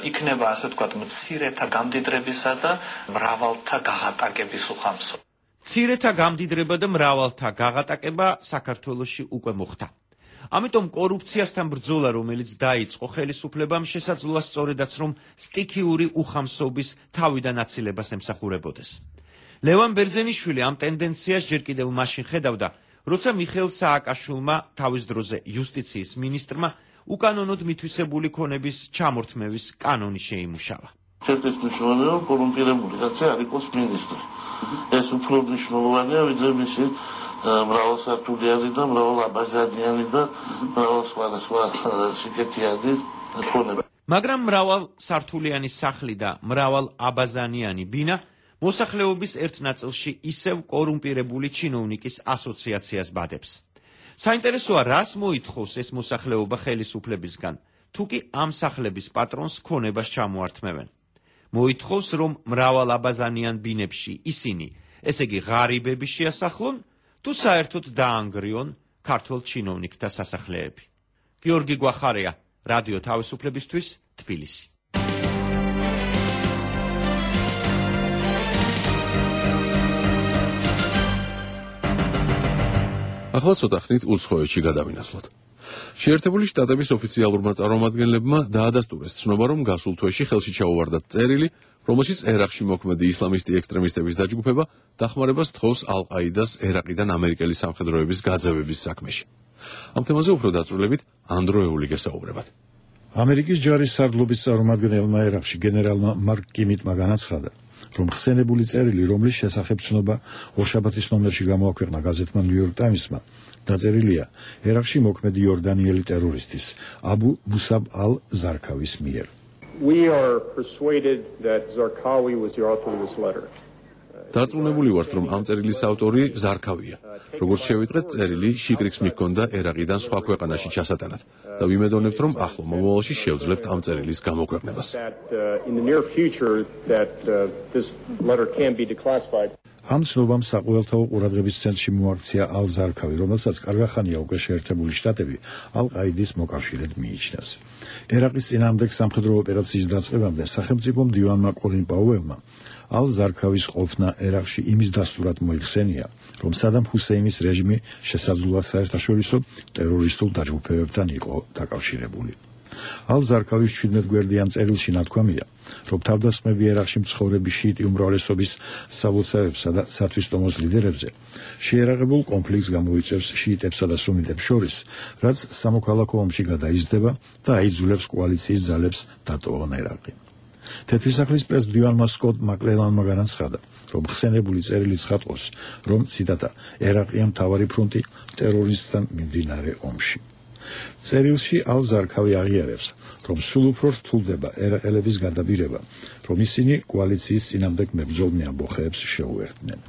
Speaker 10: იქნება, ასე ვთქვათ, მცირეთა გამდიდრებისა და მრავალთა გაღატაკების უხამსობა.
Speaker 6: მცირეთა გამდიდრება და მრავალთა გაღატაკება საქართველოში უკვე მოხდა. ამიტომ კორუფციასთან ბრძოლა, რომელიც დაიწყო ხელისუფლებამ, შესაძლოა სწორედაც რომ სტიქიური უხამსობის თავიდან აცილებას ემსახურებოდეს. ლევან ბერძენიშვილი ამ ტენდენციას ჯერ კიდევ მაშინ ხედავდა, როცა მიხეილ სააკაშვილმა თავის დროზე იუსტიციის მინისტრმა უკანონოდ მითვისებული ქონების ჩამორთმევის კანონი შეიმუშავა.
Speaker 7: ჩემთვის მნიშვნელოვანია, რომ კორუმპირებული კაცი არ იყოს მინისტრი. ეს უფრო მნიშვნელოვანია, ვიდრე მისი მრავალსართულიანი და მრავალაბაზანიანი და მრავალსვარასვა სიკეთიანი ქონება.
Speaker 6: მაგრამ მრავალსართულიანი სახლი და მრავალაბაზანიანი ბინა მოსახლეობის ერთ ნაწილში ისევ კორუმპირებული ჩინოვნიკის ასოციაციას ბადებს. საინტერესოა, რას მოითხოვს ეს მოსახლეობა ხელისუფლებისგან, თუ კი ამ სახლების პატრონს ქონებას ჩამოართმევენ. მოითხოვს, რომ მრავალაბაზანიან ბინებში ისინი, ესე იგი ღარიბები შეასახლონ, თუ საერთოდ დაანგრიონ ქართველ ჩინოვნიკთა სასახლეები. გიორგი გვახარია, რადიო თავისუფლებისთვის, თბილისი.
Speaker 1: ახლა ცოტა ხნით უცხოეთში გადავინაცვლოთ. შეერთებული შტატების ოფიციალურმა წარმომადგენლებმა დაადასტურეს ცნობა, რომ გასულ თვეში ხელში ჩაუვარდათ წერილი, რომელშიც ერაყში მოქმედი ისლამისტი ექსტრემისტების დაჯგუფება დახმარებას თხოვს ალ-ყაიდას ერაყიდან ამერიკელი სამხედროების გაძევების საქმეში. ამ თემაზე უფრო დაწვრილებით ანდროეული გესაუბრებათ.
Speaker 11: ამერიკის ჯარის სარდლობის წარმომადგენელმა ერაყში გენერალმა მარკ კიმიტმა განაცხადა, რომ ხსენებული წერილი, რომლის შესახებ ცნობა ორშაბათის ნომერში გამოაქვეყნა გაზეთმა New York Times-მა, დაწერილია ერაყში მოქმედი იორდანიელი ტერორისტის აბუ მუსაბ ალ-ზარქავის მიერ.
Speaker 12: We are persuaded that Zarqawi was the author of this letter.
Speaker 1: დარწმუნებული ვართ, რომ ამ წერილის ავტორი ზარქავია. როგორც შევიტყვეთ, წერილი შიკრიკს მიჰქონდა ერაყიდან სხვა ქვეყანაში ჩასატანად და ვიმედოვნებთ, რომ ახლო მომავალში შევძლებთ ამ წერილის გამოქვეყნებას.
Speaker 11: ამ ცნობამ საყოველთაო ყურადღების ცენტრში მოაქცია ალ-ზარქავი, რომელსაც კარგახანია უკვე შეერთებული შტატები ალ-ყაიდის მოკავშირედ მიიჩნევს. ერაყის წინააღმდეგ სამხედრო ოპერაციის დაწყებამდე სახელმწიფო მდივანმა კოლინ პაუელმა ალ-ზარქავის ყოფნა ერაყში იმის დასტურად მოიხსენია, რომ სადამ ჰუსეინის რეჟიმი შესაძლოა საერთაშორისო ტერორისტულ დაჯგუფებებთან იყო დაკავშირებული. ალ-ზარქავის 17 გვერდიან წერილში ნათქვამია, რომ თავდასხმები ერაყში მცხოვრები შიიტი უმრავლესობის სალოცავებსა და სათვისტომოს ლიდერებზე შეერაღებულ კონფლიქტს გამოიწვევს შიიტებსა და სუნიტებს შორის, რაც სამოქალაქო ომში გადაიზრდება და აიძულებს კოალიციის ძალებს დატოვონ ერაყი. თეთრი სახლის პრეზიდენტმა სკოტ მაკლელანმა განაცხადა, რომ ხსენებული წერილი ცხადყობს, რომ ციტატა ერაყია მთავარი ფრონტი ტერორისტთან მიმდინარე ომში. წერილში ალ-ზარქავი აღიარებს, რომ სულ უფრო რთულდება ერაყელების გადაბირება, რომ ისინი კოალიციის წინააღმდეგ მებრძოლ ამბოხეებს შეუერთდნენ.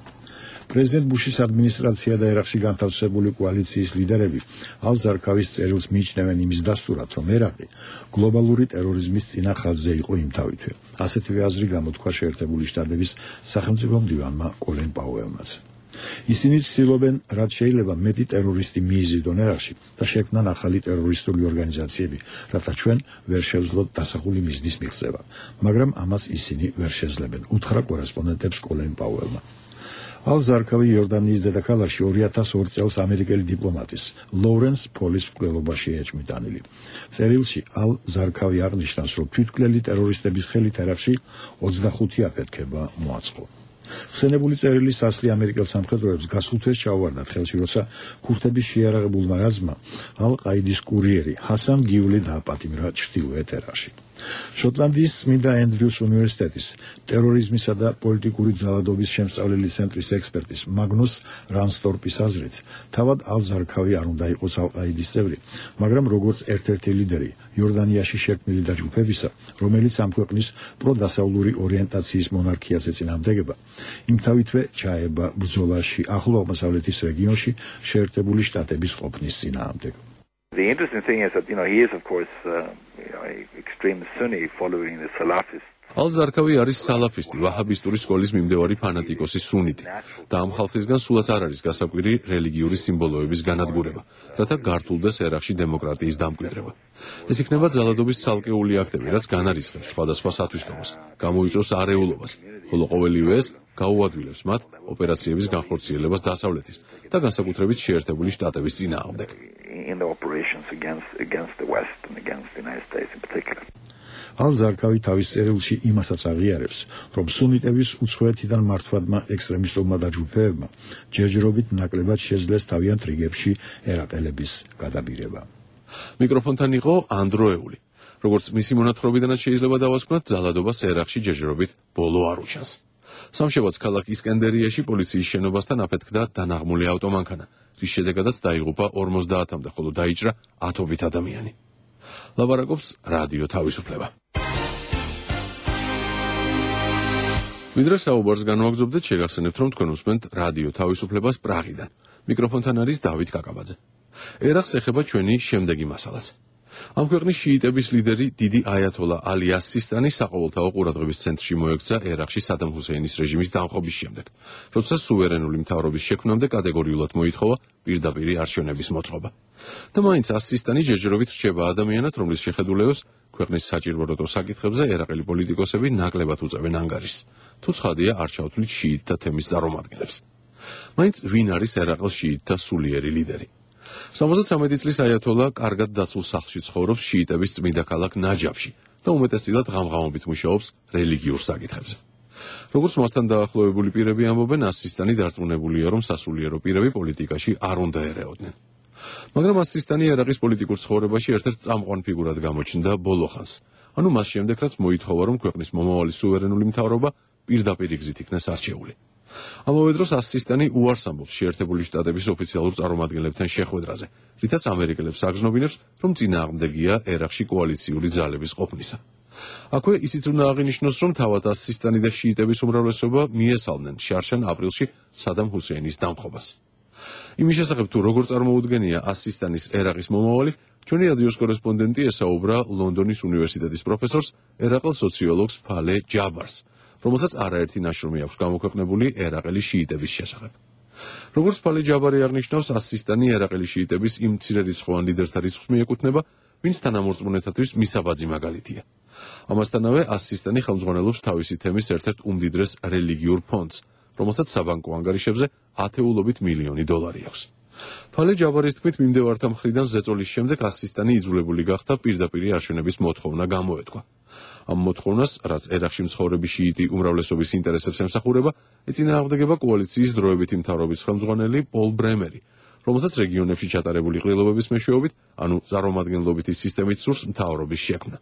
Speaker 11: პრეზიდენტ ბუშის ადმინისტრაცია და ერაყში განთავსებული კოალიციის ლიდერები ალ-ზარქავის წერილს მიიჩნევენ იმის დასტურად, რომ ერაყი გლობალური ტერორიზმის წინა ხაზზე იყო იმთავითვე. ასეთივე აზრი გამოთქვა შეერთებული შტატების სახელმწიფო მდივანმა კოლინ პაუელმაც. ისინი ცდილობენ, რაც შეიძლება მეტი ტერორისტი მიიზიდონ ერაყში და შექმნან ახალი ტერორისტული ორგანიზაციები, რათა ჩვენ ვერ შევძლოთ დასახული მიზნის მიღწევა, მაგრამ ამას ისინი ვერ შეძლებენ, უთხრა კორესპონდენტებს კოლინ პაუელმა. ალ-ზარქავი იორდანიის დედაქალაქში 2002 წელს ამერიკელი დიპლომატის ლოურენს პოლის მკვლელობაში ეჭმიტანილი. წერილში ალ-ზარქავი აღნიშნავს, რომ თვითმკვლელი ტერორისტების ხელით ერაყში 25 აფეთქება მოაწყო. ხსენებული წერილი სასლი ამერიკელ სამხედროებს გასულ თვეს ჩაუვარდათ ხელში, როცა ქურთების შეიარაღებულმა რაზმმა ალ-ყაიდის კურიერი ჰასან გიული დააპატიმრა ჩრდილოეთ ერაყში. შოტლანდიის წმინდა ენდრიუს უნივერსიტეტის ტერორიზმისა და პოლიტიკური ძალადობის შემსწავლელი ცენტრის ექსპერტის მაგნუს რანსტორპის აზრით, თავად ალ-ზარქავი არ უნდა იყოს ალ-ყაიდის წევრი, მაგრამ როგორც ერთ-ერთი ლიდერი იორდანიაში შექმნილი დაჯგუფებისა, რომელიც ამ ქვეყნის პროდასავლური ორიენტაციის მონარქიას ეწინააღმდეგება, იმთავითვე ჩაება ბრძოლაში ახლო აღმოსავლეთის რეგიონში შეერთებული შტატების ყოფნის წინააღმდეგ.
Speaker 13: The interesting thing is that, he is, of course, extreme Sunni following the Salafist.
Speaker 1: ალ-ზარქავი არის სალაფისტი, ვაჰაბისტური სკოლის მიმდევარი ფანატიკოსი სუნიტი და ამ ხალხისგან სულაც არ არის გასაკვირი რელიგიური სიმბოლოების განადგურება, რათა გართულდეს ერაყში დემოკრატიის დამკვიდრება. ეს იქნება ძალადობის ცალკეული აქტები, რაც განარისხებს სხვადასხვა სათვისტომოს, გამოიწვევს არეულობას, ხოლო ყოველივე ეს გაუადვილებს მათ ოპერაციების განხორციელებას დასავლეთის და განსაკუთრებით შეერთებული შტატების წინააღმდეგ.
Speaker 13: In the operations against the West and against the United States in particular.
Speaker 11: ალ-ზარქავი თავის წერილში იმასაც აღიარებს, რომ სუნიტების უცხოეთიდან მართვადმა ექსტრემისტულმა დაჯგუფებებმა ჯერჯერობით ნაკლებად შეძლეს თავიანთ რიგებში ერაყელების გადაბირება.
Speaker 1: მიკროფონთან იყო ანდროეული. როგორც მისი მონათხრობიდანაც შეიძლება დავასკვნათ, ძალადობას ერაყში ჯერჯერობით ბოლო არ უჩანს. სამშაბათს ქალაქ ისკენდერიაში პოლიციის შენობასთან აფეთქდა დანაღმული ავტომანქანა, რის შედეგადაც დაიღუპა 50-მდე, ხოლო დაიჭრა ათობით ადამიანი. ლაპარაკობს რადიო თავისუფლება. ვიდრე საუბარს განვაგრძობდეთ, შეგახსენებთ, რომ თქვენ უსმენთ რადიო თავისუფლებას პრაღიდან. მიკროფონთან არის დავით კაკაბაძე. ერაყს ეხება ჩვენი შემდეგი მასალაც. ამ ქვეყნის შიიტების ლიდერი დიდი აიათოლა ალი ას-სისტანი საყოველთაო ყურადღების ცენტრში მოექცა ერაყში სადამ ჰუსეინის რეჟიმის დამხობის შემდეგ, როცა სუვერენული მთავრობის შექმნამდე კატეგორიულად მოითხოვა პირდაპირი არჩევნების მოწყობა. და მაინც ას-სისტანი ჯერჯერობით რჩება ადამიანად, რომლის შეხედულებას ქვეყნის საჭიროებო საკითხებზე ერაყელი პოლიტიკოსები ნაკლებად უწევენ ანგარიშს, თუ ცხადია არ ჩავთვლით შიიტთა თემის წარმომადგენლებს. მაინც ვინ არის ერაყის შიიტთა სულიერი ლიდერი? 73 წლის აიათოლა კარგად დაცულ სახლში ცხოვრობს შიიტების წმინდა ქალაქ ნაჯაფში და უმეტესწილად ღამღამობით მუშაობს რელიგიურ საკითხებზე. როგორც მასთან დაახლოებული პირები ამბობენ, ას-სისტანი დარწმუნებულია, რომ სასულიერო პირები პოლიტიკაში არ უნდა ერეოდნენ. მაგრამ ას-სისტანი ერაყის პოლიტიკურ ცხოვრებაში ერთ-ერთ წამყვან ფიგურად გამოჩნდა ბოლო ხანს. ანუ მას შემდეგ, რაც მოითხოვა, რომ ქვეყნის მომავალი სუვერენული მთავრობა პირდაპირ გზით იქნას არჩეული. ამავე დროს ას-სისტანი უარს ამბობს შეერთებული შტატების ოფიციალურ წარმომადგენლებთან შეხვედრაზე, რითაც ამერიკელებს აგზნობინებს, რომ წინააღმდეგია ერაყში კოალიციური ძალების ყოფნისა. აქვე ისიც უნდა აღინიშნოს, რომ თავად ას-სისტანი და შიიტების უმრავლესობა მიესალმნენ შარშან აპრილში სადამ ჰუსეინის დამხობას. იმის შესახებ, თუ როგორ წარმოუდგენია ას-სისტანის ერაყის მომავალი, ჩვენი რადიოს კორესპონდენტი ესაუბრა ლონდონის უნივერსიტეტის პროფესორს, ერაყელ სოციოლოგს ფალე ჯაბარს, რომელსაც არაერთი ნაშრომი აქვს გამოქვეყნებული ერაყელი შიიტების შესახებ. როგორც ფალე ჯაბარი აღნიშნავს, ას-სისტანი ერაყელი შიიტების იმ მცირერიცხოვან ლიდერთა რიცხვს მიეკუთვნება, ვინც თანამორწმუნეთათვის მისაბაძი მაგალითია. ამასთანავე ას-სისტანი ხელმძღვანელობს თავისი თემის ერთ-ერთ უმდიდრეს რელიგიურ ფონდს, რომელსაც საბანკო ანგარიშებზე ათეულობით მილიონი დოლარი აქვს. ფალე ჯაბარის თქმით, მიმდევართა მხრიდან ზეწოლის შემდეგ ას-სისტანი იძულებული გახდა პირდაპირი არჩევნების მოთხოვნა გამოეთქვა. ამ მოთხოვნას, რაც ერაყში მცხოვრები შიიტი უმრავლესობის ინტერესებს ემსახურება, ეწინააღმდეგება კოალიციის დროებითი მთავრობის ხელმძღვანელი პოლ ბრემერი, რომელსაც რეგიონებში ჩატარებული ყრილობების მეშვეობით, ანუ წარმომადგენლობითი სისტემით სურს მთავრობის შექმნა.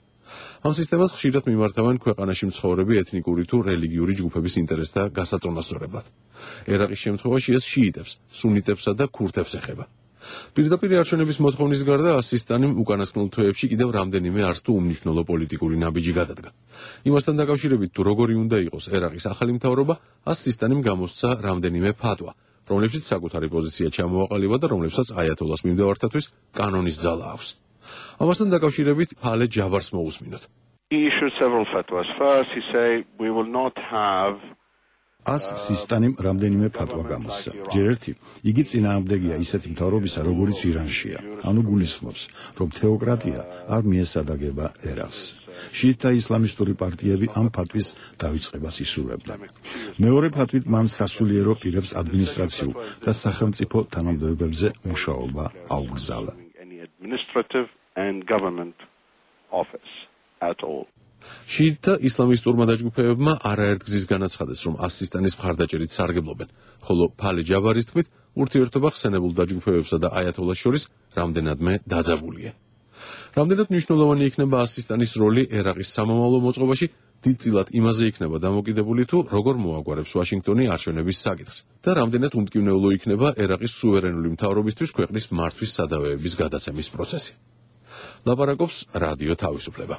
Speaker 1: ამ სისტემას ხშირად მიმართავენ ქვეყანაში მცხოვრები ეთნიკური თუ რელიგიური ჯგუფების ინტერესთა გასაწონასწორებლად. ერაყის შემთხვევაში ეს შიიტებს, სუნიტებსა და ქურთებს ეხება. პირდაპირი არჩევნების მოთხოვნის გარდა ას-სისტანიმ უკანასკნელ თვეებში კიდევ რამდენიმე არც თუ უმნიშვნელო პოლიტიკური ნაბიჯი გადადგა. იმასთან დაკავშირებით, თუ როგორი უნდა იყოს ერაყის ახალი მთავრობა, ას-სისტანიმ გამოსცა რამდენიმე ფატვა, რომლებშიც საკუთარი პოზიცია ჩამოაყალიბა და რომლებსაც აიათოლას მიმდევართათვის კანონის ძალა აქვს. ამასთან დაკავშირებით ფალე ჯაბარს მოусმინოთ.
Speaker 14: He issued several fatwas. First, he said we will not have
Speaker 11: ას-სისტანიმ რამდენიმე ფატვა გამოსცა. ჯერ ერთი, იგი წინააღმდეგია ისეთი მთავრობისა, როგორიც ირანშია. ანუ გულისხმობს, რომ თეოკრატია არ მიესადაგება ერაყს. შიიტთა ისლამისტური პარტიები ამ ფატვის დავიწყებას ისურვებდნენ. მეორე ფატვით მან სასულიერო პირებს ადმინისტრაციულ და სახელმწიფო თანამდებობებზე მუშაობა აუგზავნა.
Speaker 14: administrative and government office at all.
Speaker 1: შიიტთა ისლამისტურმა დაჯგუფებებმა არაერთ გზის განაცხადეს, რომ ასისტანის მხარდაჭერით სარგებლობენ, ხოლო ფალი ჯაბარის თქმით, ურთიერთობა ხსენებულ დაჯგუფებებსა და აიათოლას შორის რამდენადმე დაძაბულია. რამდენად მნიშვნელოვანი იქნება ასისტანის როლი ერაყის სამომავლო მოწყობაში, დიდწილად იმაზე იქნება დამოკიდებული თუ როგორ მოაგვარებს ვაშინგტონი არჩევნების საკითხს და რამდენად უმტკივნეულო იქნება ერაყის სუვერენული მთავრობისთვის ქვეყნის მართვის სადავეების გადაცემის პროცესი. ლაპარაკობს რადიო თავისუფლება.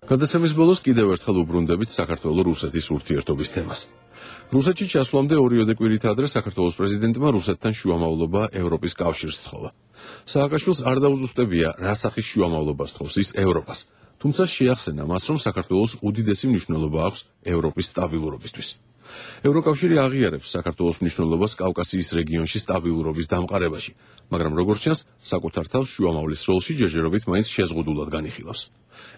Speaker 1: გადაცემის ბოლოს კიდევ ერთხელ უბრუნდებით საქართველო-რუსეთის ურთიერთობის თემას. რუსეთში ჩასვლამდე 2 კვირით ადრე საქართველოს პრეზიდენტმა რუსეთთან შუამავლობა ევროპის კავშირს სთხოვა. სააკაშვილს არ დაუზუსტებია, რა სახის შუამავლობას სთხოვს ის ევროპას, თუმცა შეახსენა მას, რომ საქართველოს უდიდესი მნიშვნელობა აქვს ევროპის სტაბილურობისთვის. ევროკავშირი აღიარებს საქართველოს მნიშვნელობას კავკასიის რეგიონში სტაბილურობის დამყარებაში, მაგრამ როგორც ჩანს, საკუთარ თავს შუამავლის როლში ჯერჯერობით მაინც შეზღუდულად განიხილავს.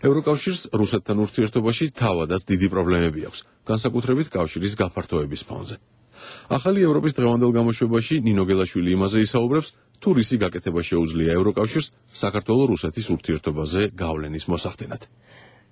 Speaker 1: ევროკავშირს რუსეთთან ურთიერთობაში თავადაც დიდი პრობლემები აქვს, განსაკუთრებით კავშირის გაფართოების ფონზე. ახალი ევროპის დღევანდელ გამოშვებაში ნინო გელაშვილი იმაზე ისაუბრებს, თუ რისი გაკეთება შეუძლია ევროკავშირს საქართველო-რუსეთის ურთიერთობაზე გავლენის მოსახდენად.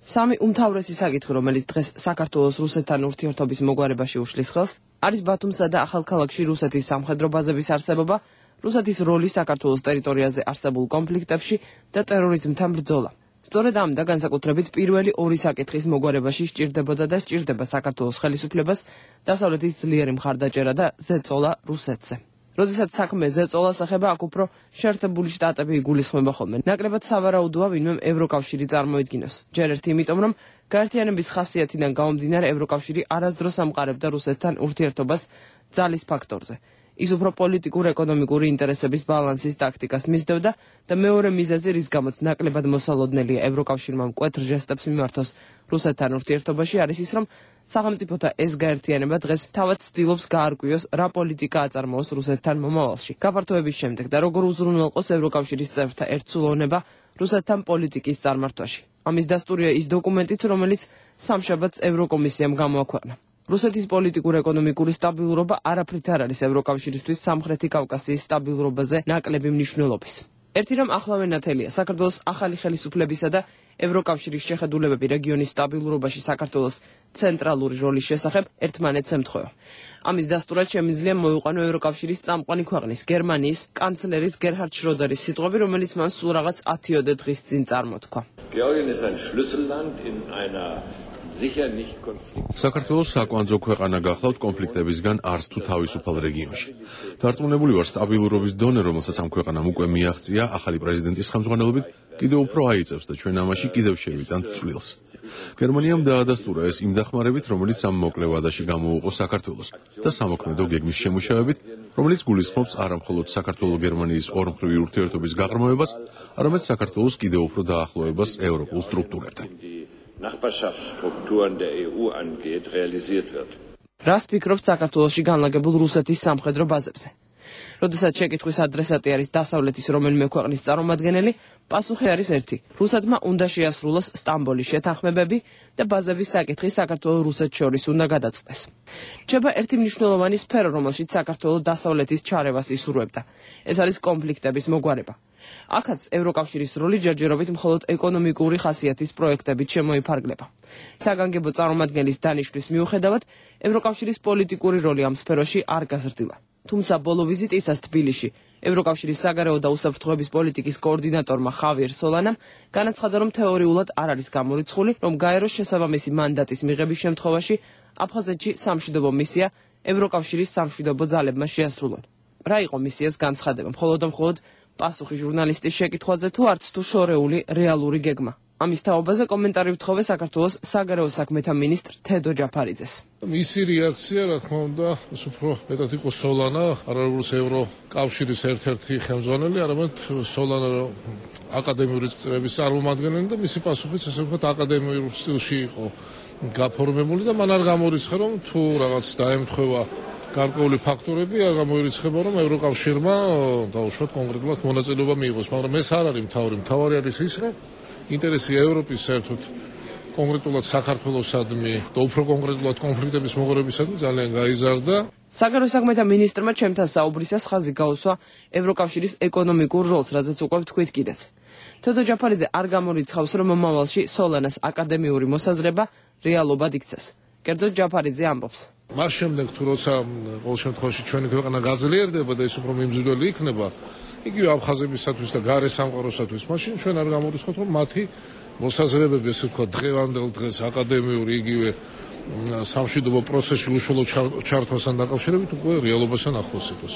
Speaker 15: სამი უმთავრესი საკითხი, რომელიც დღეს საქართველოს რუსეთთან ურთიერთობის მოგვარებაში უშლის ხელს, არის ბათუმსა და ახალქალაქში რუსეთის სამხედრო ბაზების არსებობა, რუსეთის როლი საქართველოს ტერიტორიაზე არსებულ კონფლიქტებში და ტერორიზმთან ბრძოლა. სწორედ ამ და განსაკუთრებით პირველი ორი საკითხის მოგვარებაში სჭირდებოდა და სჭირდება საქართველოს ხელისუფლებას დასავლეთის ძლიერი მხარდაჭერა და ზეწოლა რუსეთზე. როდესაც საქმე ზეწოლას ეხება, აქ უფრო შეერთებული შტატები იგულისხმება ხოლმე. ნაკლებად სავარაუდოა ვინმემ ევროკავშირი წარმოიდგინოს. ჯერ ერთი იმიტომ, რომ გაერთიანების ხასიათიდან გამომდინარე ევროკავშირი არასდროს ამყარებდა რუსეთთან ურთიერთობას ძალის ფაქტორზე. ის უფრო პოლიტიკურ-ეკონომიკური ინტერესების ბალანსის ტაქტიკას მისდევდა და მეორე მიზეზი, რის გამოც ნაკლებად მოსალოდნელია ევროკავშირმა მკვეთრ ჟესტებს მიმართოს რუსეთთან ურთიერთობაში, არის ის, რომ სახელმწიფოთა ეს გაერთიანება დღეს თავად ცდილობს გაარკვიოს, რა პოლიტიკა აწარმოოს რუსეთთან მომავალში. გაფართოების შემდეგ და როგორ უზრუნველყოს ევროკავშირის წევრთა ერთსულოვნება რუსეთთან პოლიტიკის წარმართვაში. ამის დასტურია ის დოკუმენტიც, რომელიც სამშაბათს ევროკომისიამ გამოაქვეყნა. რუსეთის პოლიტიკურ-ეკონომიკური სტაბილურობა არაფრით არ არის ევროკავშირისთვის სამხრეთი კავკასიის სტაბილურობაზე ნაკლები მნიშვნელობის. ერთი რამ ახლავე ნათელია, საქართველოს ახალი ხელისუფლებისა და ევროკავშირის შეხედულებები რეგიონის სტაბილურობაში საქართველოს ცენტრალური როლის შესახებ ერთმანეთს ემთხვევა. ამის დასტურად შემიძლია მოიყვანო ევროკავშირის წამყვანი ქვეყნის გერმანიის კანცლერის გერჰარდ შროდერის სიტყვები, რომელიც მან სულ რაღაც 10 დღის წინ წარმოთქვა.
Speaker 1: საქართველოს საკვანძო ქვეყანა გახლავთ კონფლიქტებისგან არც თუ თავისუფალ რეგიონში. დარწმუნებული ვარ, სტაბილურობის დონე, რომელსაც ამ ქვეყანამ უკვე მიაღწია ახალი პრეზიდენტის ხელმძღვანელობით, კიდევ უფრო აიწევს და ჩვენ ამაში კიდევ შევიტანთ წვლილს. გერმანიამ დაადასტურა ეს იმ დახმარებით, რომელიც ამ მოკლე ვადაში გამოუყო საქართველოს და სამოქმედო გეგმის შემუშავებით, რომელიც გულისხმობს არა მხოლოდ საქართველო-გერმანიის ორმხრივი ურთიერთობის გაღრმავებას, არამედ საქართველოს კიდევ უფრო დაახლოებას ევროპულ სტრუქტურებთან.
Speaker 16: Nachbarschaftsstrukturen der EU angeht, realisiert wird.
Speaker 15: რას ფიქრობთ საქართველოში განლაგებულ რუსეთის სამხედრო ბაზებზე? როდესაც შეკითხვის ადრესატი არის დასავლეთის რომელიმე ქვეყნის წარმომადგენელი, პასუხი არის ერთი. რუსეთმა უნდა შეასრულოს სტამბოლის შეთანხმებები და ბაზების საკითხი საქართველოს-რუსეთს შორის უნდა გადაწყდეს. რჩება ერთი მნიშვნელოვანი სფერო, რომელშიც საქართველოს დასავლეთის ჩარევას ისურვებდა. ეს არის კონფლიქტების მოგვარება. აქაც ევროკავშირის როლი ჯერჯერობით მხოლოდ ეკონომიკური ხასიათის პროექტებით შემოიფარგლება. საგანგებო წარმომადგენლის დანიშვნის მიუხედავად, ევროკავშირის პოლიტიკური როლი ამ სფეროში არ გაზრდილა. თუმცა ბოლო ვიზიტისას თბილისში ევროკავშირის საგარეო და უსაფრთხოების პოლიტიკის კოორდინატორმა ხავიერ სოლანამ განაცხადა, რომ თეორიულად არ არის გამორიცხული, რომ გაეროს შესაბამისი მანდატის მიღების შემთხვევაში აფხაზეთში სამშვიდობო მისია ევროკავშირის სამშვიდობო ძალებმა შეასრულონ. რა იყო მისიას განცხადება? მხოლოდ პასუხი ჟურნალისტის შეკითხვაზე თუ არც თუ შორეული რეალური გეგმა. ამის თაობაზე კომენტარი ვთხოვე საქართველოს საგარეო საქმეთა მინისტრ თედო ჯაფარიძეს.
Speaker 18: მისი რეაქცია, რა თქმა უნდა, უფრო მეტად იყო სოლანა, არა როგორც ევროკავშირის ერთ-ერთი ხელმძღვანელი, არამედ სოლანა აკადემიური წრების წარმომადგენელი და მისი პასუხიც ესე ვთქვათ აკადემიურ სტილში იყო გაფორმებული და მან არ გამორიცხა, რომ თუ რაღაც დაემთხვევა გარკვეული ფაქტორები, არ გამოირიცხება, რომ ევროკავშირმა დაუშვათ კონკრეტულად მონაწილეობა მიიღოს, მაგრამ ეს არ არის მთავარი არის ის, რომ ინტერესი ევროპის საერთოდ კონკრეტულად საქართველოსადმი და უფრო კონკრეტულად კონფლიქტების მოგვარებისადმი ძალიან გაიზარდა.
Speaker 15: საგარეო საქმეთა მინისტრმა ჩემთან საუბრისას ხაზი გაუსვა ევროკავშირის ეკონომიკურ როლს, რაზეც უკვე ვთქვით კიდეც. თედო ჯაფარიძე არ გამორიცხავს, რომ მომავალში სოლანას აკადემიური მოსაზრება რეალობად იქცეს. კერძოდ ჯაფარიძე ამბობს.
Speaker 18: მას შემდეგ თუ როცა ყოველ შემთხვევაში ჩვენი ქვეყანა გაძლიერდება და ის უფრო მიმზიდველი იქნება, იგივე აფხაზებისათვის და გარე სამყაროსათვის, მაშინ ჩვენ არ გამორიცხავთ, რომ მათი მოსაზრებები, ესე ვთქვათ, დღევანდელ დღეს აკადემიური იგივე სამშვიდობო პროცესში უშუალო ჩართვასთან დაკავშირებით უკვე რეალობასთან ახლოს იყოს.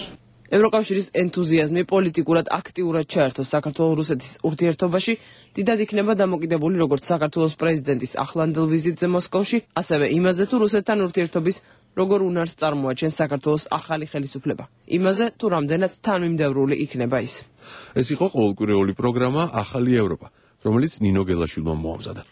Speaker 15: ევროკავშირის ენთუზიაზმი პოლიტიკურად აქტიურად ჩაერთოს საქართველოს-რუსეთის ურთიერთობაში, დიდად იქნება დამოკიდებული როგორც საქართველოს პრეზიდენტის ახლანდელ ვიზიტზე მოსკოვში, ასევე იმაზე თუ რუსეთთან ურთიერთობის როგორ უნარს წარმოაჩენს საქართველოს ახალი ხელისუფლება. იმაზე თუ რამდენად თანმიმდევრული იქნება ის.
Speaker 1: ეს იყო ყოველკვირეული პროგრამა ახალი ევროპა, რომელიც ნინო გელაშვილმა მოამზადა.